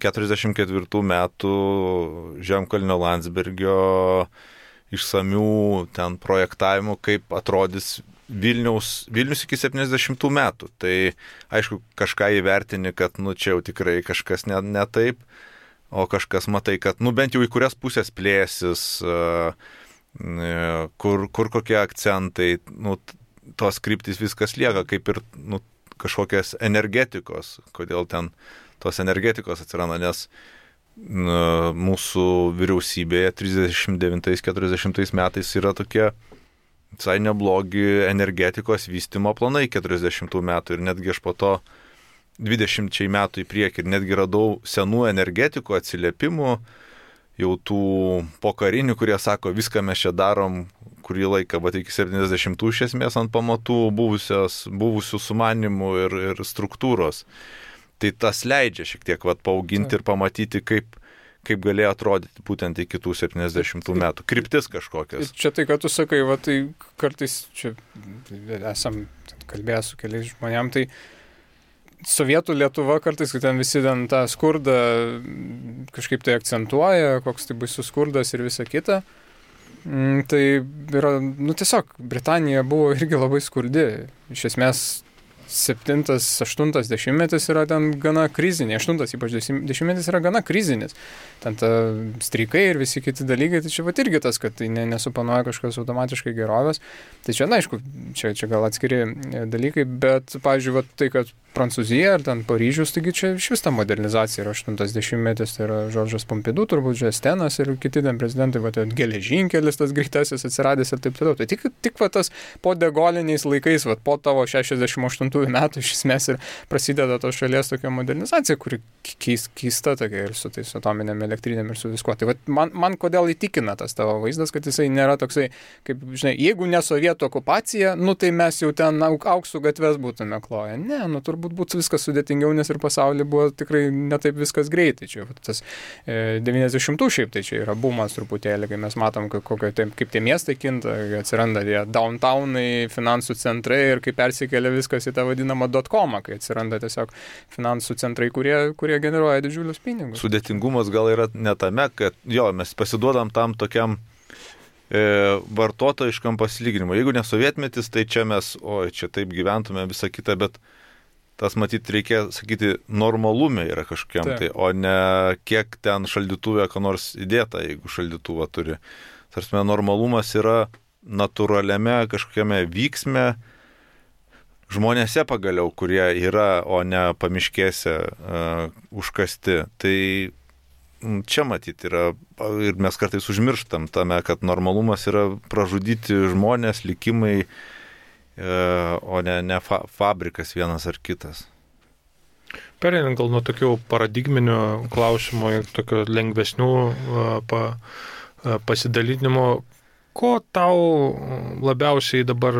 keturiasdešimt ketvirtų metų Žemkalnio Landsbergio išsamių ten projektavimų, kaip atrodys Vilniaus, Vilnius iki septyniasdešimtų metų. Tai aišku, kažką įvertini, kad nu čia jau tikrai kažkas ne, ne taip, o kažkas matai, kad nu bent jau į kurias pusės plėsis, kur, kur kokie akcentai, nu tos kryptys viskas lieka, kaip ir nu, kažkokias energetikos, kodėl ten tos energetikos atsiranda, nes mūsų vyriausybėje trisdešimt devintais keturiasdešimtais metais yra tokie visai neblogi energetikos vystymo planai keturiasdešimtų metų ir netgi aš po to dvidešimčiai metų į priekį ir netgi radau senų energetikų atsiliepimų, jau tų pokarinių, kurie sako, viską mes čia darom kurį laiką, bet iki septyniasdešimtų iš esmės ant pamatų buvusios, buvusių sumanimų ir, ir struktūros. Tai tas leidžia šiek tiek vat, paauginti ir pamatyti, kaip, kaip galėjo atrodyti būtent iki tų septyniasdešimtų metų. Kryptis kažkokias. Čia tai, kad tu sakai, va, tai kartais čia esam kalbėję su keliais žmonėm, tai Sovietų Lietuva kartais, kai ten visi ten tą skurdą kažkaip tai akcentuoja, koks tai baisus skurdas ir visa kita. Tai yra, nu tiesiog, Britanija buvo irgi labai skurdi. Iš esmės, septintas, aštuntas dešimtmetis yra ten gana krizinė, aštuntas ypač dešimtmetis yra gana krizinis. Ten ta streikai ir visi kiti dalykai, tai čia va irgi tas, kad tai ne, nesuponuoja kažkas automatiškai gerovės. Tai čia, na, aišku, čia, čia gal atskiri dalykai, bet, pavyzdžiui, va, tai, kad Prancūzija ar ten Paryžius, taigi čia iš vis ta modernizacija yra aštuntas dešimtmetis, tai yra Žoržas Pompidou, turbūt Žestenas ir kiti ten prezidentai, va, ten geležinkelis tas greitasis atsiradęs ir taip toliau. Tai tik, tik va tas po degoliniais laikais, va, po tavo šešiasdešimt aštuntųjų metų iš esmės ir prasideda tos šalies tokia modernizacija, kuri keis, keista tokia ir su tais atominėm elektrinėm ir su viskuo. Tai va, man, man kodėl įtikina tas tavo vaizdas, kad jisai nėra toksai, kaip, žinai, jeigu ne sovietų okupacija, nu tai mes jau ten auksų gatves būtume kloję. Ne, nu turbūt turbūt būtų viskas sudėtingiau, nes ir pasaulyje buvo tikrai netaip viskas greitai. Čia tas e, devyniasdešimtų šiaip tai čia yra bumas truputėlį, kai mes matom, kaip, kokio, kaip tie miestai kinta, atsiranda tie downtownai, finansų centrai ir kai persikelia viskas į tą vadinamą dot-comą, kai atsiranda tiesiog finansų centrai, kurie, kurie generuoja didžiulius pinigus. Sudėtingumas gal yra ne tame, kad jo, mes pasiduodam tam tokiam vartotojiškam pasilyginimui. Jeigu ne sovietmetis, tai čia mes, oi, čia taip gyventume visą kitą, bet tas, matyt, reikia sakyti, normalume yra kažkokiam, tai, o ne kiek ten šaldytuvė ką nors įdėta, jeigu šaldytuvą turi. Tarsi, normalumas yra natūraliame kažkokiame vyksme žmonėse pagaliau, kurie yra, o ne pamiškėse uh, užkasti. Tai čia matyti yra, ir mes kartais užmirštam tame, kad normalumas yra pražudyti žmonės, likimai, o ne, ne fa- fabrikas vienas ar kitas. Pereinant gal nuo tokių paradigminių klausimų ir tokių lengvesnių pa, pasidalinimo, ko tau labiausiai dabar,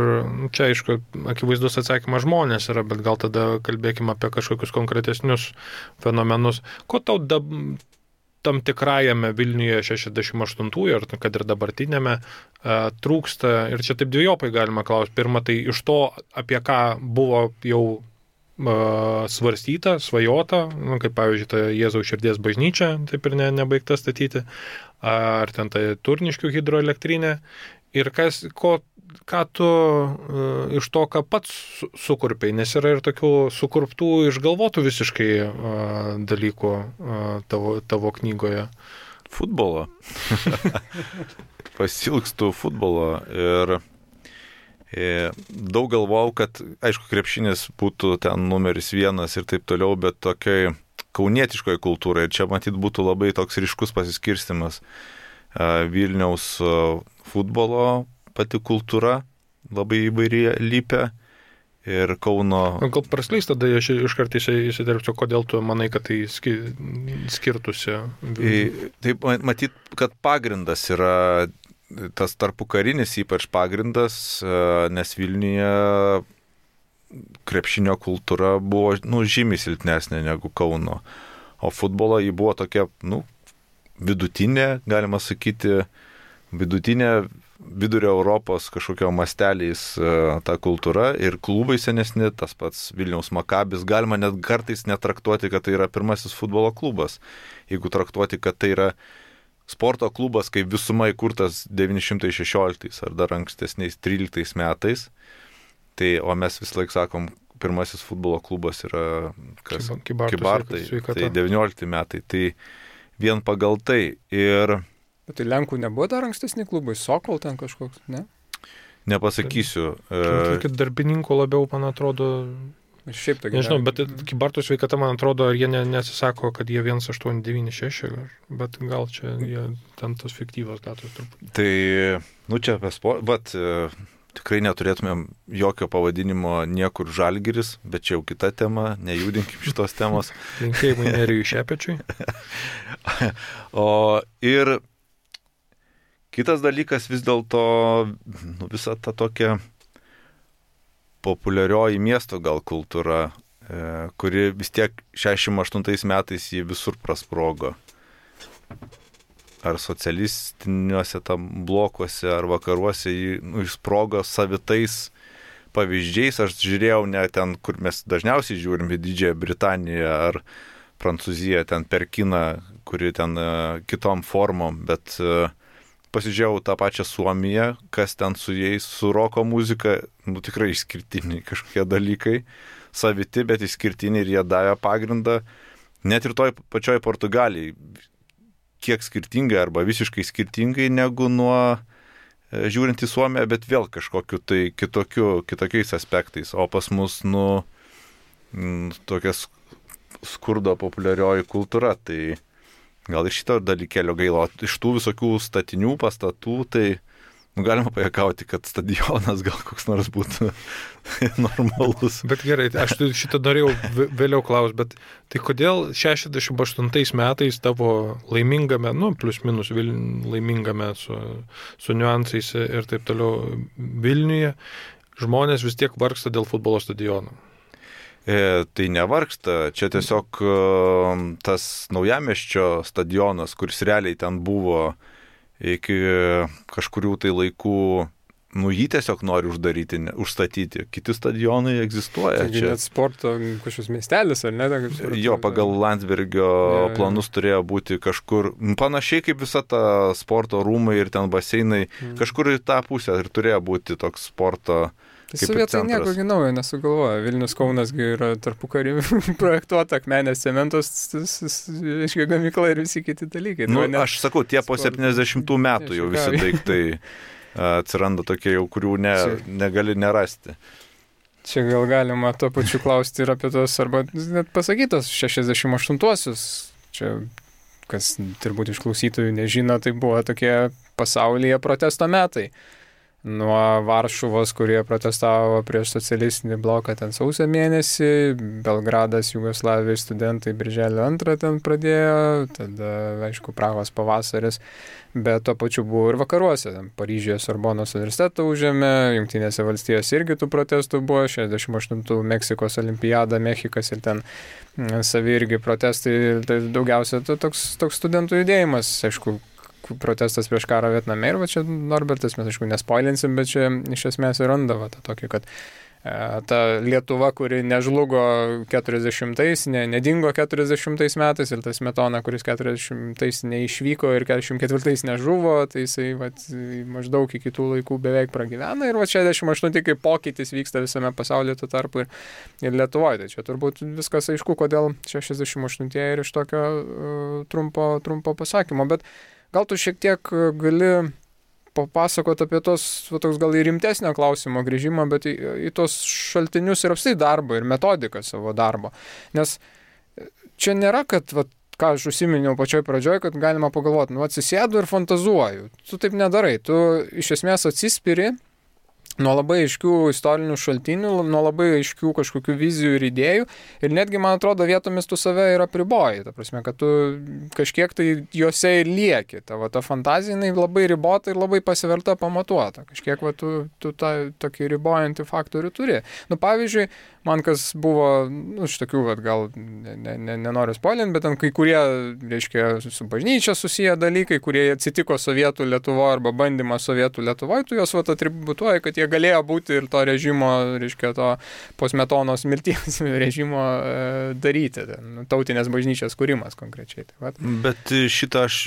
čia aišku, akivaizdus atsakymas žmonės yra, bet gal tada kalbėkime apie kažkokius konkretesnius fenomenus. Ko tau dabar tam tikrajame Vilniuje šešiasdešimt aštuntųjų, ar kad ir dabartinėme, trūksta, ir čia taip dviejopai galima klausti. Pirma, tai iš to, apie ką buvo jau svarstyta, svajota, nu, kaip pavyzdžiui, ta Jėzaus širdies bažnyčia, taip ir ne, nebaigta statyti, ar ten ta Turniškių hidroelektrinė, ir kas, ko, ką tu uh, iš to, ką pats sukurpiai, nes yra ir tokių sukurptų, išgalvotų visiškai uh, dalykų uh, tavo, tavo knygoje. Futbolo. Pasilgstu futbolo ir, ir daug galvojau, kad, aišku, krepšinis būtų ten numeris vienas ir taip toliau, bet tokiai kaunietiškoje kultūroje, ir čia matyt būtų labai toks ryškus pasiskirstimas uh, Vilniaus uh, futbolo pati kultūra labai įvairiai lypia ir Kauno... Gal praskleis tada aš iš kartais įsidirbsiu, kodėl tu manai, kad tai skirtusi? Taip, matyt, kad pagrindas yra tas tarpukarinis ypač pagrindas, nes Vilniuje krepšinio kultūra buvo, nu, žymiai silpnesnė negu Kauno, o futbolo jį buvo tokia, nu, vidutinė, galima sakyti, vidutinė vidurio Europos kažkokio masteliais ta kultūra ir klubai senesni, tas pats Vilniaus Makabis, galima net kartais netraktuoti, kad tai yra pirmasis futbolo klubas. Jeigu traktuoti, kad tai yra sporto klubas, kaip visuma įkurtas devyni šimtai šešioliktais ar dar ankstesniais tryliktais metais, tai, o mes vis laik sakom, pirmasis futbolo klubas yra kas? Kybartai, Kybartai, tai devyniolikti metai. Tai vien pagal tai ir... Bet tai Lenkų nebuvo dar ankstesni klubai, Sokol ten kažkoks, ne? Nepasakysiu. Tai darbininkų labiau, man atrodo... Šiaip tai nežinau, bet Kybartų sveikata, man atrodo, jie ne, nesisako, kad jie vienas aštuoni devyni šeši, bet gal čia jie ten tos fiktyvos datos truputį. Tai, nu čia apie sportą, bet tikrai neturėtumėm jokio pavadinimo niekur Žalgiris, bet čia jau kita tema, nejudinkim šitos temos. Linkėjimai Nerijui Šepečiui. O ir kitas dalykas vis dėlto, nu, visa ta tokia populiarioji miesto gal kultūra, e, kuri vis tiek šešiasdešimt aštuntais metais jį visur prasprogo. Ar socialistiniuose tam blokuose, ar vakaruose jį, nu, išsprogo savitais pavyzdžiais. Aš žiūrėjau ne ten, kur mes dažniausiai žiūrim, į Didžiąją Britaniją ar Prancūziją, ten per kiną, kuri ten e, kitom formom, bet e, pasižiūrėjau tą pačią Suomiją, kas ten su jais, su roko muzika, nu tikrai išskirtiniai kažkokie dalykai, saviti, bet išskirtiniai ir jie davė pagrindą. Net ir toj pačioj Portugalijai, kiek skirtingai arba visiškai skirtingai negu nuo e, žiūrint į Suomiją, bet vėl kažkokiu tai kitokiu, kitokiais aspektais. O pas mus, nu, m, tokia skurdo populiarioji kultūra, tai gal ir šito dalykėlio gaila. Iš tų visokių statinių, pastatų, tai nu, galima pajakauti, kad stadionas gal koks nors būtų normalus. Bet gerai, aš šitą norėjau vėliau klausti, bet tai kodėl šešiasdešimt aštuntais metais tavo laimingame, nu, plus minus laimingame su, su niuansais ir taip toliau Vilniuje, žmonės vis tiek vargsta dėl futbolo stadiono? E, tai nevargsta, čia tiesiog e, tas Naujamiesčio stadionas, kuris realiai ten buvo iki kažkurių tai laikų, nu jį tiesiog nori uždaryti, ne, užstatyti. Kiti stadionai egzistuoja. Taigi čia net sporto kažkoks miestelis, ar ne? Supratau, jo, pagal Landsbergio ja, planus turėjo būti kažkur, panašiai kaip visa ta sporto rūmai ir ten baseinai, mm. kažkur į tą pusę ir turėjo būti toks sporto. Tai sovietai nieko naujo nesugalvoja. Vilnius Kaunasgi yra tarpukarį projektuota, akmenės cementos, iškia gamykla ir visi kiti dalykai. Nu, aš sakau, tie po septyniasdešimtų metų jau visi daiktai atsiranda tokie jau, kurių ne, negali nerasti. Čia gal galima to pačiu klausti ir apie tos, arba net pasakytos šešiasdešimt aštuntuosius. Čia, kas turbūt iš klausytojų nežino, tai buvo tokie pasaulyje protesto metai. Nuo Varšuvos, kurie protestavo prieš socialistinį bloką ten sausio mėnesį, Belgradas, Jugoslavijos studentai birželio antrą ten pradėjo, tada, aišku, Prahos pavasaris, bet to pačiu buvo ir vakaruose. Paryžiuje Sorbonos universitetą užėmė, Jungtinėse valstijose irgi tų protestų buvo, šešiasdešimt aštuntų Meksikos olimpiada, Mexikas ir ten savi irgi protestai, tai daugiausia to, toks, toks studentų judėjimas, aišku, protestas prieš karą Vietname ir va čia Norbertas, mes aišku nespoilinsim, bet čia iš esmės ir randa va tą tokį, kad e, ta Lietuva, kuri nežlugo keturiasdešimtais, ne, nedingo keturiasdešimtais metais ir tas Smetona, kuris keturiasdešimtais neišvyko ir keturiasdešimt ketvirtais nežuvo, tai jisai va, maždaug iki tų laikų beveik pragyvena ir va šešiasdešimt aštunti kaip pokytis vyksta visame pasaulyje tuo tarpu ir, ir Lietuvoje. Tai čia turbūt viskas aišku, kodėl šešiasdešimt aštuntieji ir iš tokio uh, trumpo, trumpo pasakymo, bet gal tu šiek tiek gali papasakoti apie tos, va, toks gal ir rimtesnio klausimo grįžimą, bet į, į tos šaltinius ir apstai darbo ir metodiką savo darbo. Nes čia nėra, kad, va, ką aš užsiminiau pačioj pradžioj, kad galima pagalvoti, nu atsisėdu ir fantazuoju. Tu taip nedarai, tu iš esmės atsispiri nuo labai aiškių istorinių šaltinių, nuo labai aiškių kažkokių vizijų ir idėjų ir netgi, man atrodo, vietomis tu save ir apriboji, ta prasme, kad tu kažkiek tai juose ir lieki, tavo ta fantazija jinai labai ribota ir labai pasiverta pamatuota, kažkiek va, tu, tu tą tokį ribojantį faktorių turi. Nu, pavyzdžiui, man kas buvo, nu, iš tokių, va, gal ne, ne, nenoriu spoilinti, bet ten kai kurie, reiškia, su bažnyčia susiję dalykai, kurie atsitiko Sovietų Lietuvoje arba bandymą Sovietų Lietuvoje, tu juos va, atributuoji, kad jie galėjo būti ir to režimo, reiškia, to po Smetonos mirties režimo e, daryti, ten, tautinės bažnyčios kūrimas konkrečiai. Tai, bet šitą aš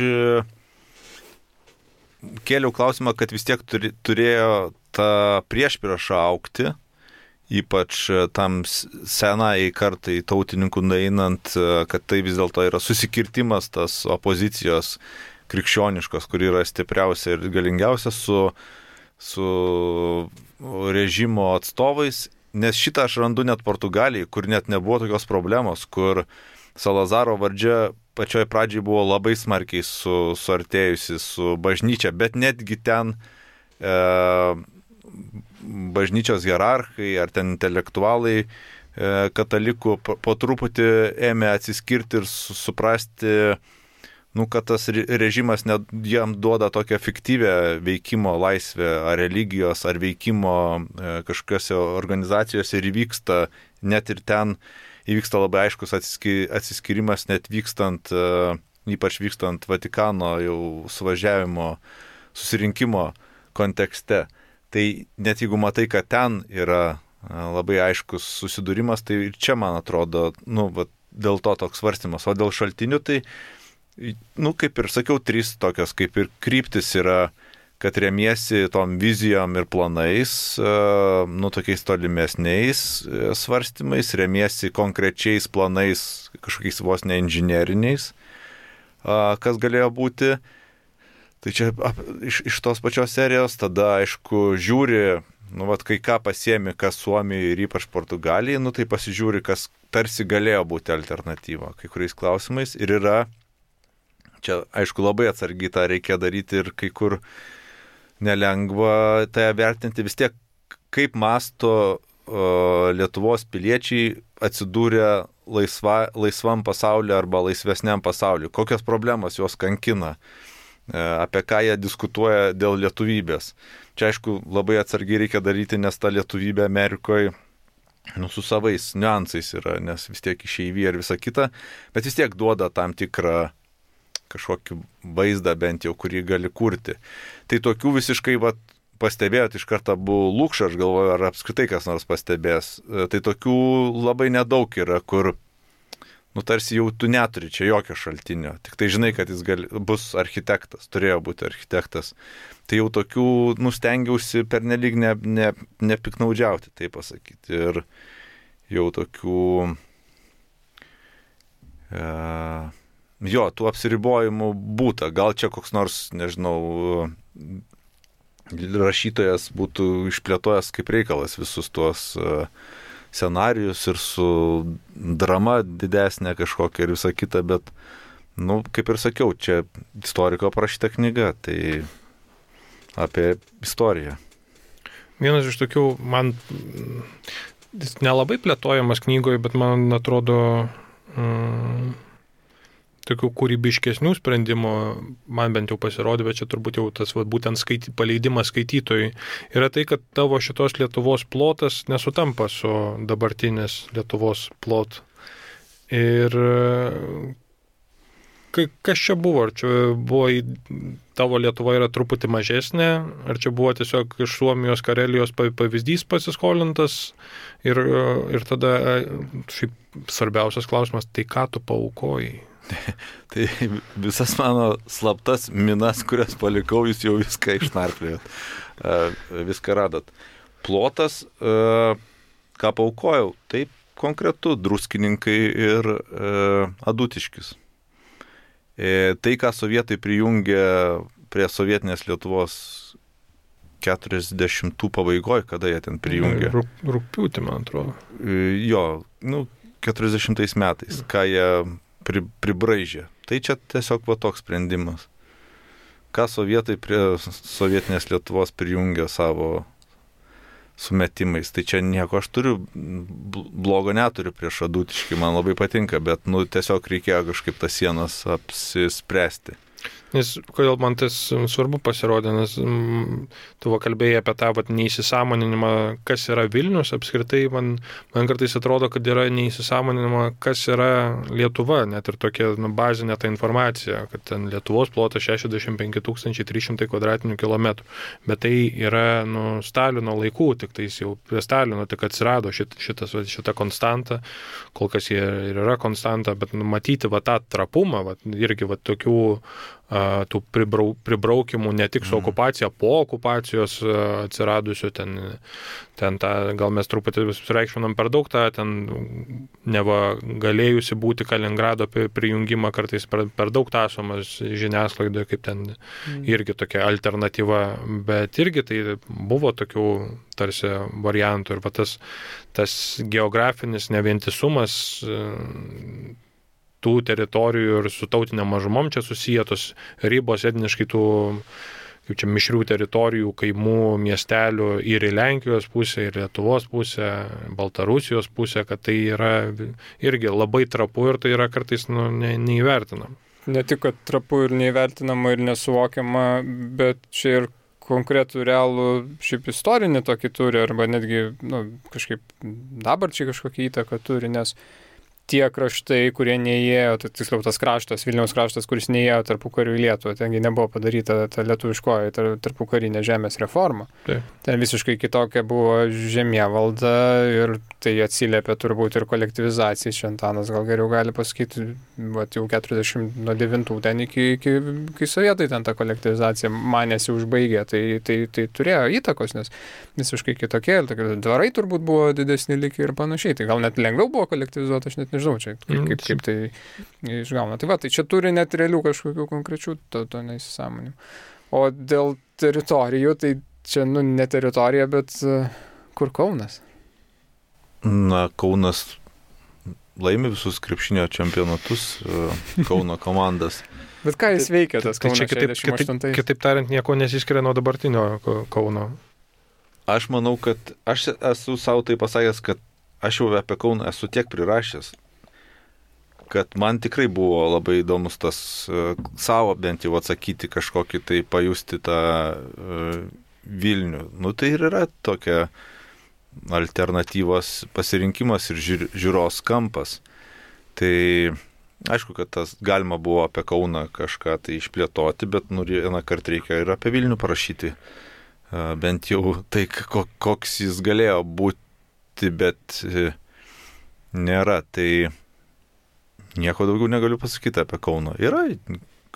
kėliau klausimą, kad vis tiek turi, turėjo tą priešpriešą augti, ypač tam senai kartai tautininkų nueinant, kad tai vis dėlto yra susikirtimas tas opozicijos krikščioniškos, kuri yra stipriausia ir galingiausia su su režimo atstovais, nes šitą aš randu net Portugalijai, kur net nebuvo tokios problemos, kur Salazaro valdžia pačioj pradžiai buvo labai smarkiai su, suartėjusi su bažnyčia, bet netgi ten e, bažnyčios hierarchai ar ten intelektualai e, katalikų po, po truputį ėmė atsiskirti ir su, suprasti, nu, kad tas režimas net jam duoda tokią fiktyvę veikimo laisvę ar religijos, ar veikimo e, kažkokiose organizacijose ir įvyksta, net ir ten įvyksta labai aiškus atsiski, atsiskirimas, net vykstant, e, ypač vykstant Vatikano jau suvažiavimo, susirinkimo kontekste. Tai net jeigu matai, kad ten yra e, labai aiškus susidūrimas, tai čia, man atrodo, nu, va, dėl to toks svarstymas. O dėl šaltinių, tai nu, kaip ir sakiau, trys tokios kaip ir kryptis yra, kad remiesi tom vizijom ir planais, nu, tokiais tolimesniais svarstymais, remiesi konkrečiais planais, kažkokiais vos ne inžineriniais, kas galėjo būti. Tai čia iš, iš tos pačios serijos, tada, aišku, žiūri, nu, vat, kai ką pasiemi, kas Suomijai ir ypač Portugalijai, nu, tai pasižiūri, kas tarsi galėjo būti alternatyva kai kuriais klausimais ir yra. Čia, aišku, labai atsargiai tą reikia daryti ir kai kur nelengva tai vertinti. Vis tiek, kaip masto o, Lietuvos piliečiai atsidūrė laisva, laisvam pasauliu arba laisvesniam pasauliu. Kokios problemos juos kankina, e, apie ką jie diskutuoja dėl lietuvybės. Čia, aišku, labai atsargiai reikia daryti, nes ta lietuvybė Amerikoje nu, su savais niuansais yra, nes vis tiek išeivija ir visa kita, bet vis tiek duoda tam tikrą kažkokį vaizdą bent jau, kurį gali kurti. Tai tokių visiškai, va, pastebėjot iš karto buvo Lukša, aš galvoju, ar apskritai kas nors pastebės. Tai tokių labai nedaug yra, kur, nu, tarsi jau tu neturi čia jokio šaltinio. Tik tai žinai, kad jis gali, bus architektas, turėjo būti architektas. Tai jau tokių, nu, stengiausi pernelyg ne, ne, nepiknaudžiauti, taip pasakyti. Ir jau tokių... E, jo, tų apsiribojimų būta. Gal čia koks nors, nežinau, rašytojas būtų išplėtojęs kaip reikalas visus tuos scenarijus ir su drama didesnė kažkokia ir visa kita, bet, nu, kaip ir sakiau, čia istoriko parašyta knyga, tai apie istoriją. Vienas iš tokių, man nelabai plėtojamas knygoje, bet man atrodo... Mm, tokių kūrybiškesnių sprendimų, man bent jau pasirodė, bet čia turbūt jau tas va, būtent skaity, paleidimas skaitytojui, yra tai, kad tavo šitos Lietuvos plotas nesutampa su dabartinės Lietuvos plot. Ir kas čia buvo? Ar čia buvo, tavo Lietuva yra truputį mažesnė, ar čia buvo tiesiog iš Suomijos, Karelijos pavyzdys pasiskolintas ir, ir tada šiaip svarbiausias klausimas, tai ką tu paaukoji? Tai visas mano slaptas minas, kurias palikau, jūs jau viską išnarplėjot, viską radot. Plotas, ką paaukojau, taip konkretu, Druskininkai ir Adutiškis. Tai, ką sovietai prijungė prie sovietinės Lietuvos keturiasdešimtų pabaigoje, kada jie ten prijungė. Rugpjūtį, man atrodo. Jo, nu, keturiasdešimtais metais, ką jie pri, pribraižė. Tai čia tiesiog va toks sprendimas. Ką sovietai prie sovietinės Lietuvos prijungė savo sumetimais. Tai čia nieko, aš turiu, blogo neturiu prieš Adutiškį, man labai patinka, bet, nu, tiesiog reikėjo kažkaip tas sienas apsispręsti. Nes kodėl man tas svarbu pasirodė, nes m, tu va kalbėjai apie tą vat, neįsisąmoninimą, kas yra Vilnius, apskritai man, man kartais atrodo, kad yra neįsisąmoninimą, kas yra Lietuva, net ir tokia nu, bazinė ta informacija, kad ten Lietuvos plotas šešiasdešimt penki tūkstančiai trys šimtai kvadratinių kilometrų, bet tai yra nu, Stalino laikų, tik tais jau prie Stalino tik atsirado šit, šitas, šita konstanta, kol kas jie ir yra konstanta, bet nu, matyti va, tą trapumą, va, irgi va, tokių tų pribrau, pribraukimų ne tik su okupacija, po okupacijos atsiradusių, ten, ten tą, gal mes truputį sureikšminam per daug tą, ten neva galėjusi būti Kaliningrado prijungimą kartais per, per daug tasomas žiniasklaidoje, kaip ten mm. irgi tokia alternatyva, bet irgi tai buvo tokių tarsi variantų ir va tas, tas geografinis nevientisumas tų teritorijų ir su tautinė mažumom čia susijėtos ribos etniškai tų, kaip čia, mišrių teritorijų, kaimų, miestelių ir į Lenkijos pusę, ir Lietuvos pusę, Baltarusijos pusę, kad tai yra irgi labai trapu ir tai yra kartais nu, ne, neįvertinama. Ne tik, kad trapu ir neįvertinama ir nesuvokiama, bet čia ir konkretų realų šiaip istorinį tokį turi, arba netgi nu, kažkaip dabarčiai kažkokią įtaką turi, nes tie kraštai, kurie neįėjo, tai tiksliau tas kraštas, Vilniaus kraštas, kuris neįėjo tarpukariu į Lietuvą, tengi nebuvo padaryta ta lietuviškoji tarpukarinė žemės reforma. Tai. Ten visiškai kitokia buvo žemėvalda ir tai atsiliepia turbūt ir kolektyvizacijai. Šentanas gal geriau gali pasakyti, vat jau keturiasdešimt devintų ten iki, iki, iki sovietai ten ta kolektyvizacija manėsi užbaigė, tai, tai, tai turėjo įtakos, nes visiškai kitokie, dvarai turbūt buvo didesni likiai ir panašiai. Tai gal net lengviau buvo kolektyvizuoti, aš net nežinau, čia kaip, kaip, kaip tai išgauna. Tai va, tai čia turi net realių kažkokių konkrečių to, to neįsisąmonimų. O dėl teritorijų, tai čia, nu, ne teritorija, bet uh, kur Kaunas? Na, Kaunas laimi visus krepšinio čempionatus, uh, Kauno komandas. Bet ką jis veikia, tas Kaunas šešiasdešimt aštuntais? Kitaip, kitaip tariant, nieko nesiskiria nuo dabartinio Kauno. Aš manau, kad aš esu savo tai pasakęs, kad aš jau apie Kauną esu tiek prirašęs, kad man tikrai buvo labai įdomus tas uh, savo bent jau atsakyti kažkokį tai pajusti tą uh, Vilnių. Nu tai ir yra tokia alternatyvos pasirinkimas ir žiūr, žiūros kampas. Tai aišku, kad tas galima buvo apie Kauną kažką tai išplėtoti, bet nu, vieną kartą reikia ir apie Vilnių parašyti. Bent jau tai, koks jis galėjo būti, bet nėra. Tai nieko daugiau negaliu pasakyti apie Kauną. Yra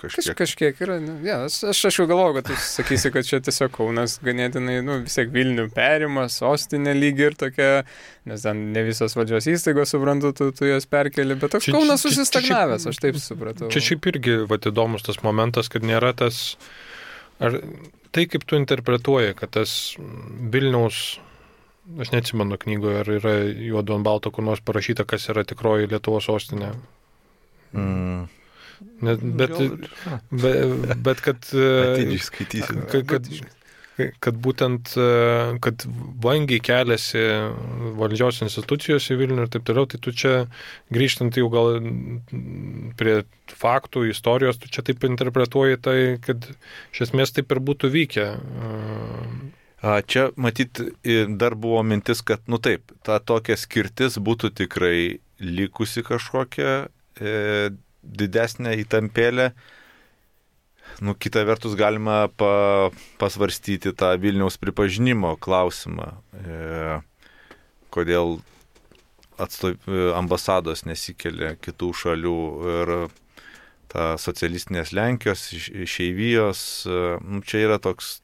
kažkiek. Kaž, kažkiek yra. Ja, aš, aš jau galvoju, kad tu sakysi, kad čia tiesiog Kaunas ganėtinai, nu, vis tiek Vilnių perima, sostinė lygi ir tokia, nes ten ne visos valdžios įstaigos, suprantu, tu, tu jas perkeli, bet toks čia, Kaunas susistagnavęs, aš taip supratau. Čia šiaip irgi vat, įdomus tas momentas, kad nėra tas, ar tai kaip tu interpretuoji, kad tas Vilniaus, aš neatsimenu knygoje, ar yra juodu ant balto kur nors parašyta, kas yra tikroji Lietuvos sostinė. Mm. Net, bet, bet, bet kad, kad, kad, kad būtent, kad vangiai keliasi valdžios institucijos į Vilnių ir taip toliau, tai tu čia, grįžtant jau gal prie faktų, istorijos, tu čia taip interpretuoji tai, kad iš esmės taip ir būtų vykę. Čia, matyt, dar buvo mintis, kad, nu taip, ta tokia skirtis būtų tikrai likusi kažkokia, e, didesnė įtampėlė. Nu, kita vertus galima pa, pasvarstyti tą Vilniaus pripažinimo klausimą. E, kodėl atstov, ambasados nesikelia kitų šalių ir ta socialistinės Lenkijos, išeivijos. Nu, čia yra toks,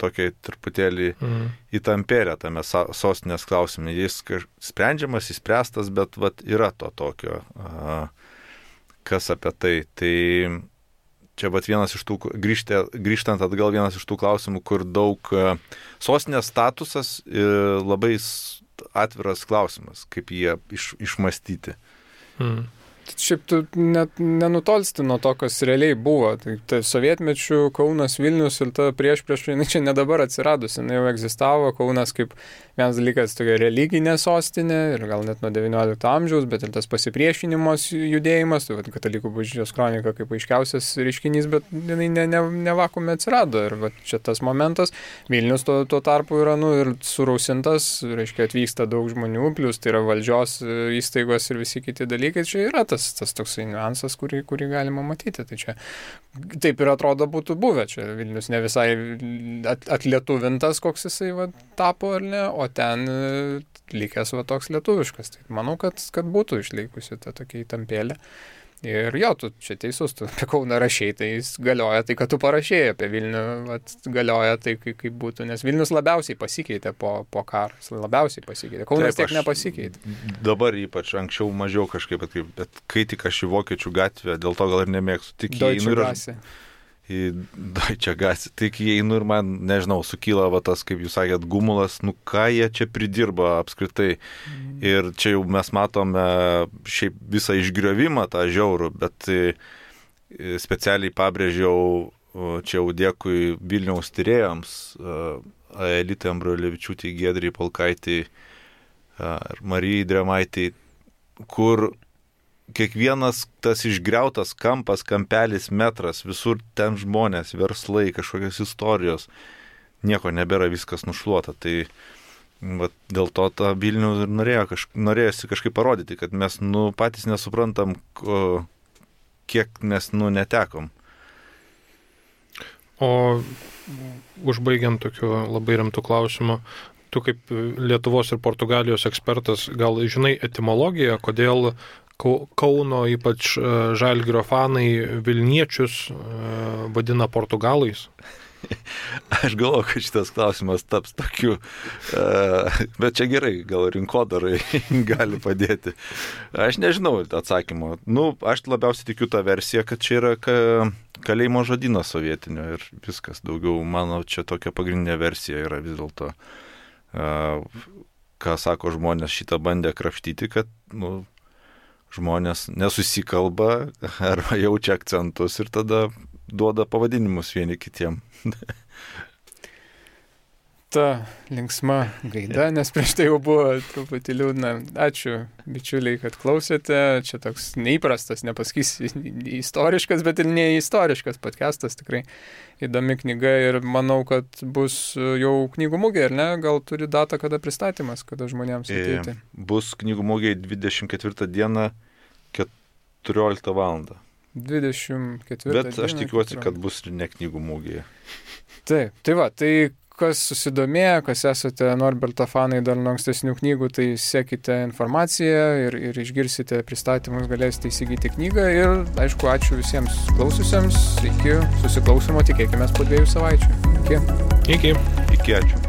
tokia truputėlį mm. įtampėlė tame sostinės klausime. Jis sprendžiamas, įspręstas, bet vat, yra to tokio. A, kas apie tai. Tai čia vat vienas iš tų, grįžtė, grįžtant atgal, vienas iš tų klausimų, kur daug sostinės statusas labai atviras klausimas, kaip jie iš, išmastyti. Hmm. Šiaip tu net nenutolsti nuo to, kas realiai buvo. Tai, tai sovietmečių Kaunas, Vilnius ir ta prieš prieš, jinai čia ne dabar atsiradusi, jinai jau egzistavo. Kaunas kaip vienas dalykas tokia religinė sostinė ir gal net nuo devyniolikto amžiaus, bet ir tas pasipriešinimas judėjimas, tai vat, katalikų bažnyčios kronika kaip aiškiausias reiškinys, bet jinai ne, ne, ne vakume atsirado. Ir vat, čia tas momentas. Vilnius tuo, tuo tarpu yra nu, ir surausintas, reiškia atvyksta daug žmonių, plus tai yra valdžios įstaigos ir visi kiti dalykai. Čia yra tas tas toksai niuansas, kurį, kurį galima matyti. Tai čia taip ir atrodo būtų buvę. Čia Vilnius ne visai atlietuvintas, koks jisai va, tapo ar ne, o ten likęs va, toks lietuviškas. Tai manau, kad, kad būtų išlikusi ta tokia įtampėlė. Ir jo, tu čia teisus, tu apie Kauną rašei, tai jis galioja tai, kad tu parašėjai, apie Vilnių vat, galioja tai, kaip, kaip būtų, nes Vilnius labiausiai pasikeitė po, po karo, labiausiai pasikeitė, Kaunas tiek nepasikeitė. Dabar ypač, anksčiau mažiau kažkaip, bet, bet kai tik aš į Vokiečių gatvę, dėl to gal ir nemėgstu, tik įeinu ir aš... į Deutsche Gasse, tik įeinu ir man, nežinau, sukyla va tas, kaip jūs sakėt, gumulas, nu ką jie čia pridirba apskritai. Mm. Ir čia jau mes matome šiaip visą išgriovimą tą žiaurų, bet specialiai pabrėžiau, čia jau dėkui Vilniaus tyrėjams, Aelitai Ambrulevičiūtei, Giedriai Polkaitei ir Marijai Drėmaitei, kur kiekvienas tas išgriautas kampas, kampelis, metras, visur ten žmonės, verslai, kažkokios istorijos, nieko nebėra, viskas nušluota. Tai va, dėl to tą Vilnių ir norėjo, kažk... norėjosi kažkaip parodyti, kad mes nu, patys nesuprantam, ko... kiek mes nu, netekom. O užbaigiant tokiu labai rimtų klausimų, tu kaip Lietuvos ir Portugalijos ekspertas, gal žinai etimologiją, kodėl Kauno, ypač Žalgirio fanai, Vilniečius vadina portugalais? Aš galvoju, kad šitas klausimas taps tokiu, bet čia gerai, gal rinkodarai gali padėti. Aš nežinau atsakymo. Nu, aš labiausiai tikiu tą versiją, kad čia yra kalėjimo žodynas sovietinio ir viskas. Daugiau, mano, čia tokia pagrindinė versija yra vis dėlto. Ką sako žmonės, šitą bandė krapštyti, kad, nu, žmonės nesusikalba arba jaučia akcentus ir tada duoda pavadinimus vieni kitiem. ta linksma gaida, nes prieš tai jau buvo truputį liūdna. Ačiū, bičiuliai, kad klausėte. Čia toks neįprastas, nepasakysiu, istoriškas, bet ir neistoriškas podcastas. Tikrai įdomi knyga ir manau, kad bus jau knygų mugė, ar ne? Gal turi datą, kada pristatymas, kada žmonėms ateiti? Bus knygų mugė dvidešimt ketvirtą dieną keturioliktą valandą. dvidešimt ketvirtą Bet aš tikiuosi, kad bus ir ne knygų mugėje. Taip, tai va, tai kas susidomėjo, kas esate Norberto fanai dar nuo ankstesnių knygų, tai sekite informaciją ir, ir išgirsite pristatymus, galėsite įsigyti knygą ir, aišku, ačiū visiems klausiusiems, iki susiklausimo, tikėkime po dviejų savaičių. Iki. Iki. Iki, ačiū.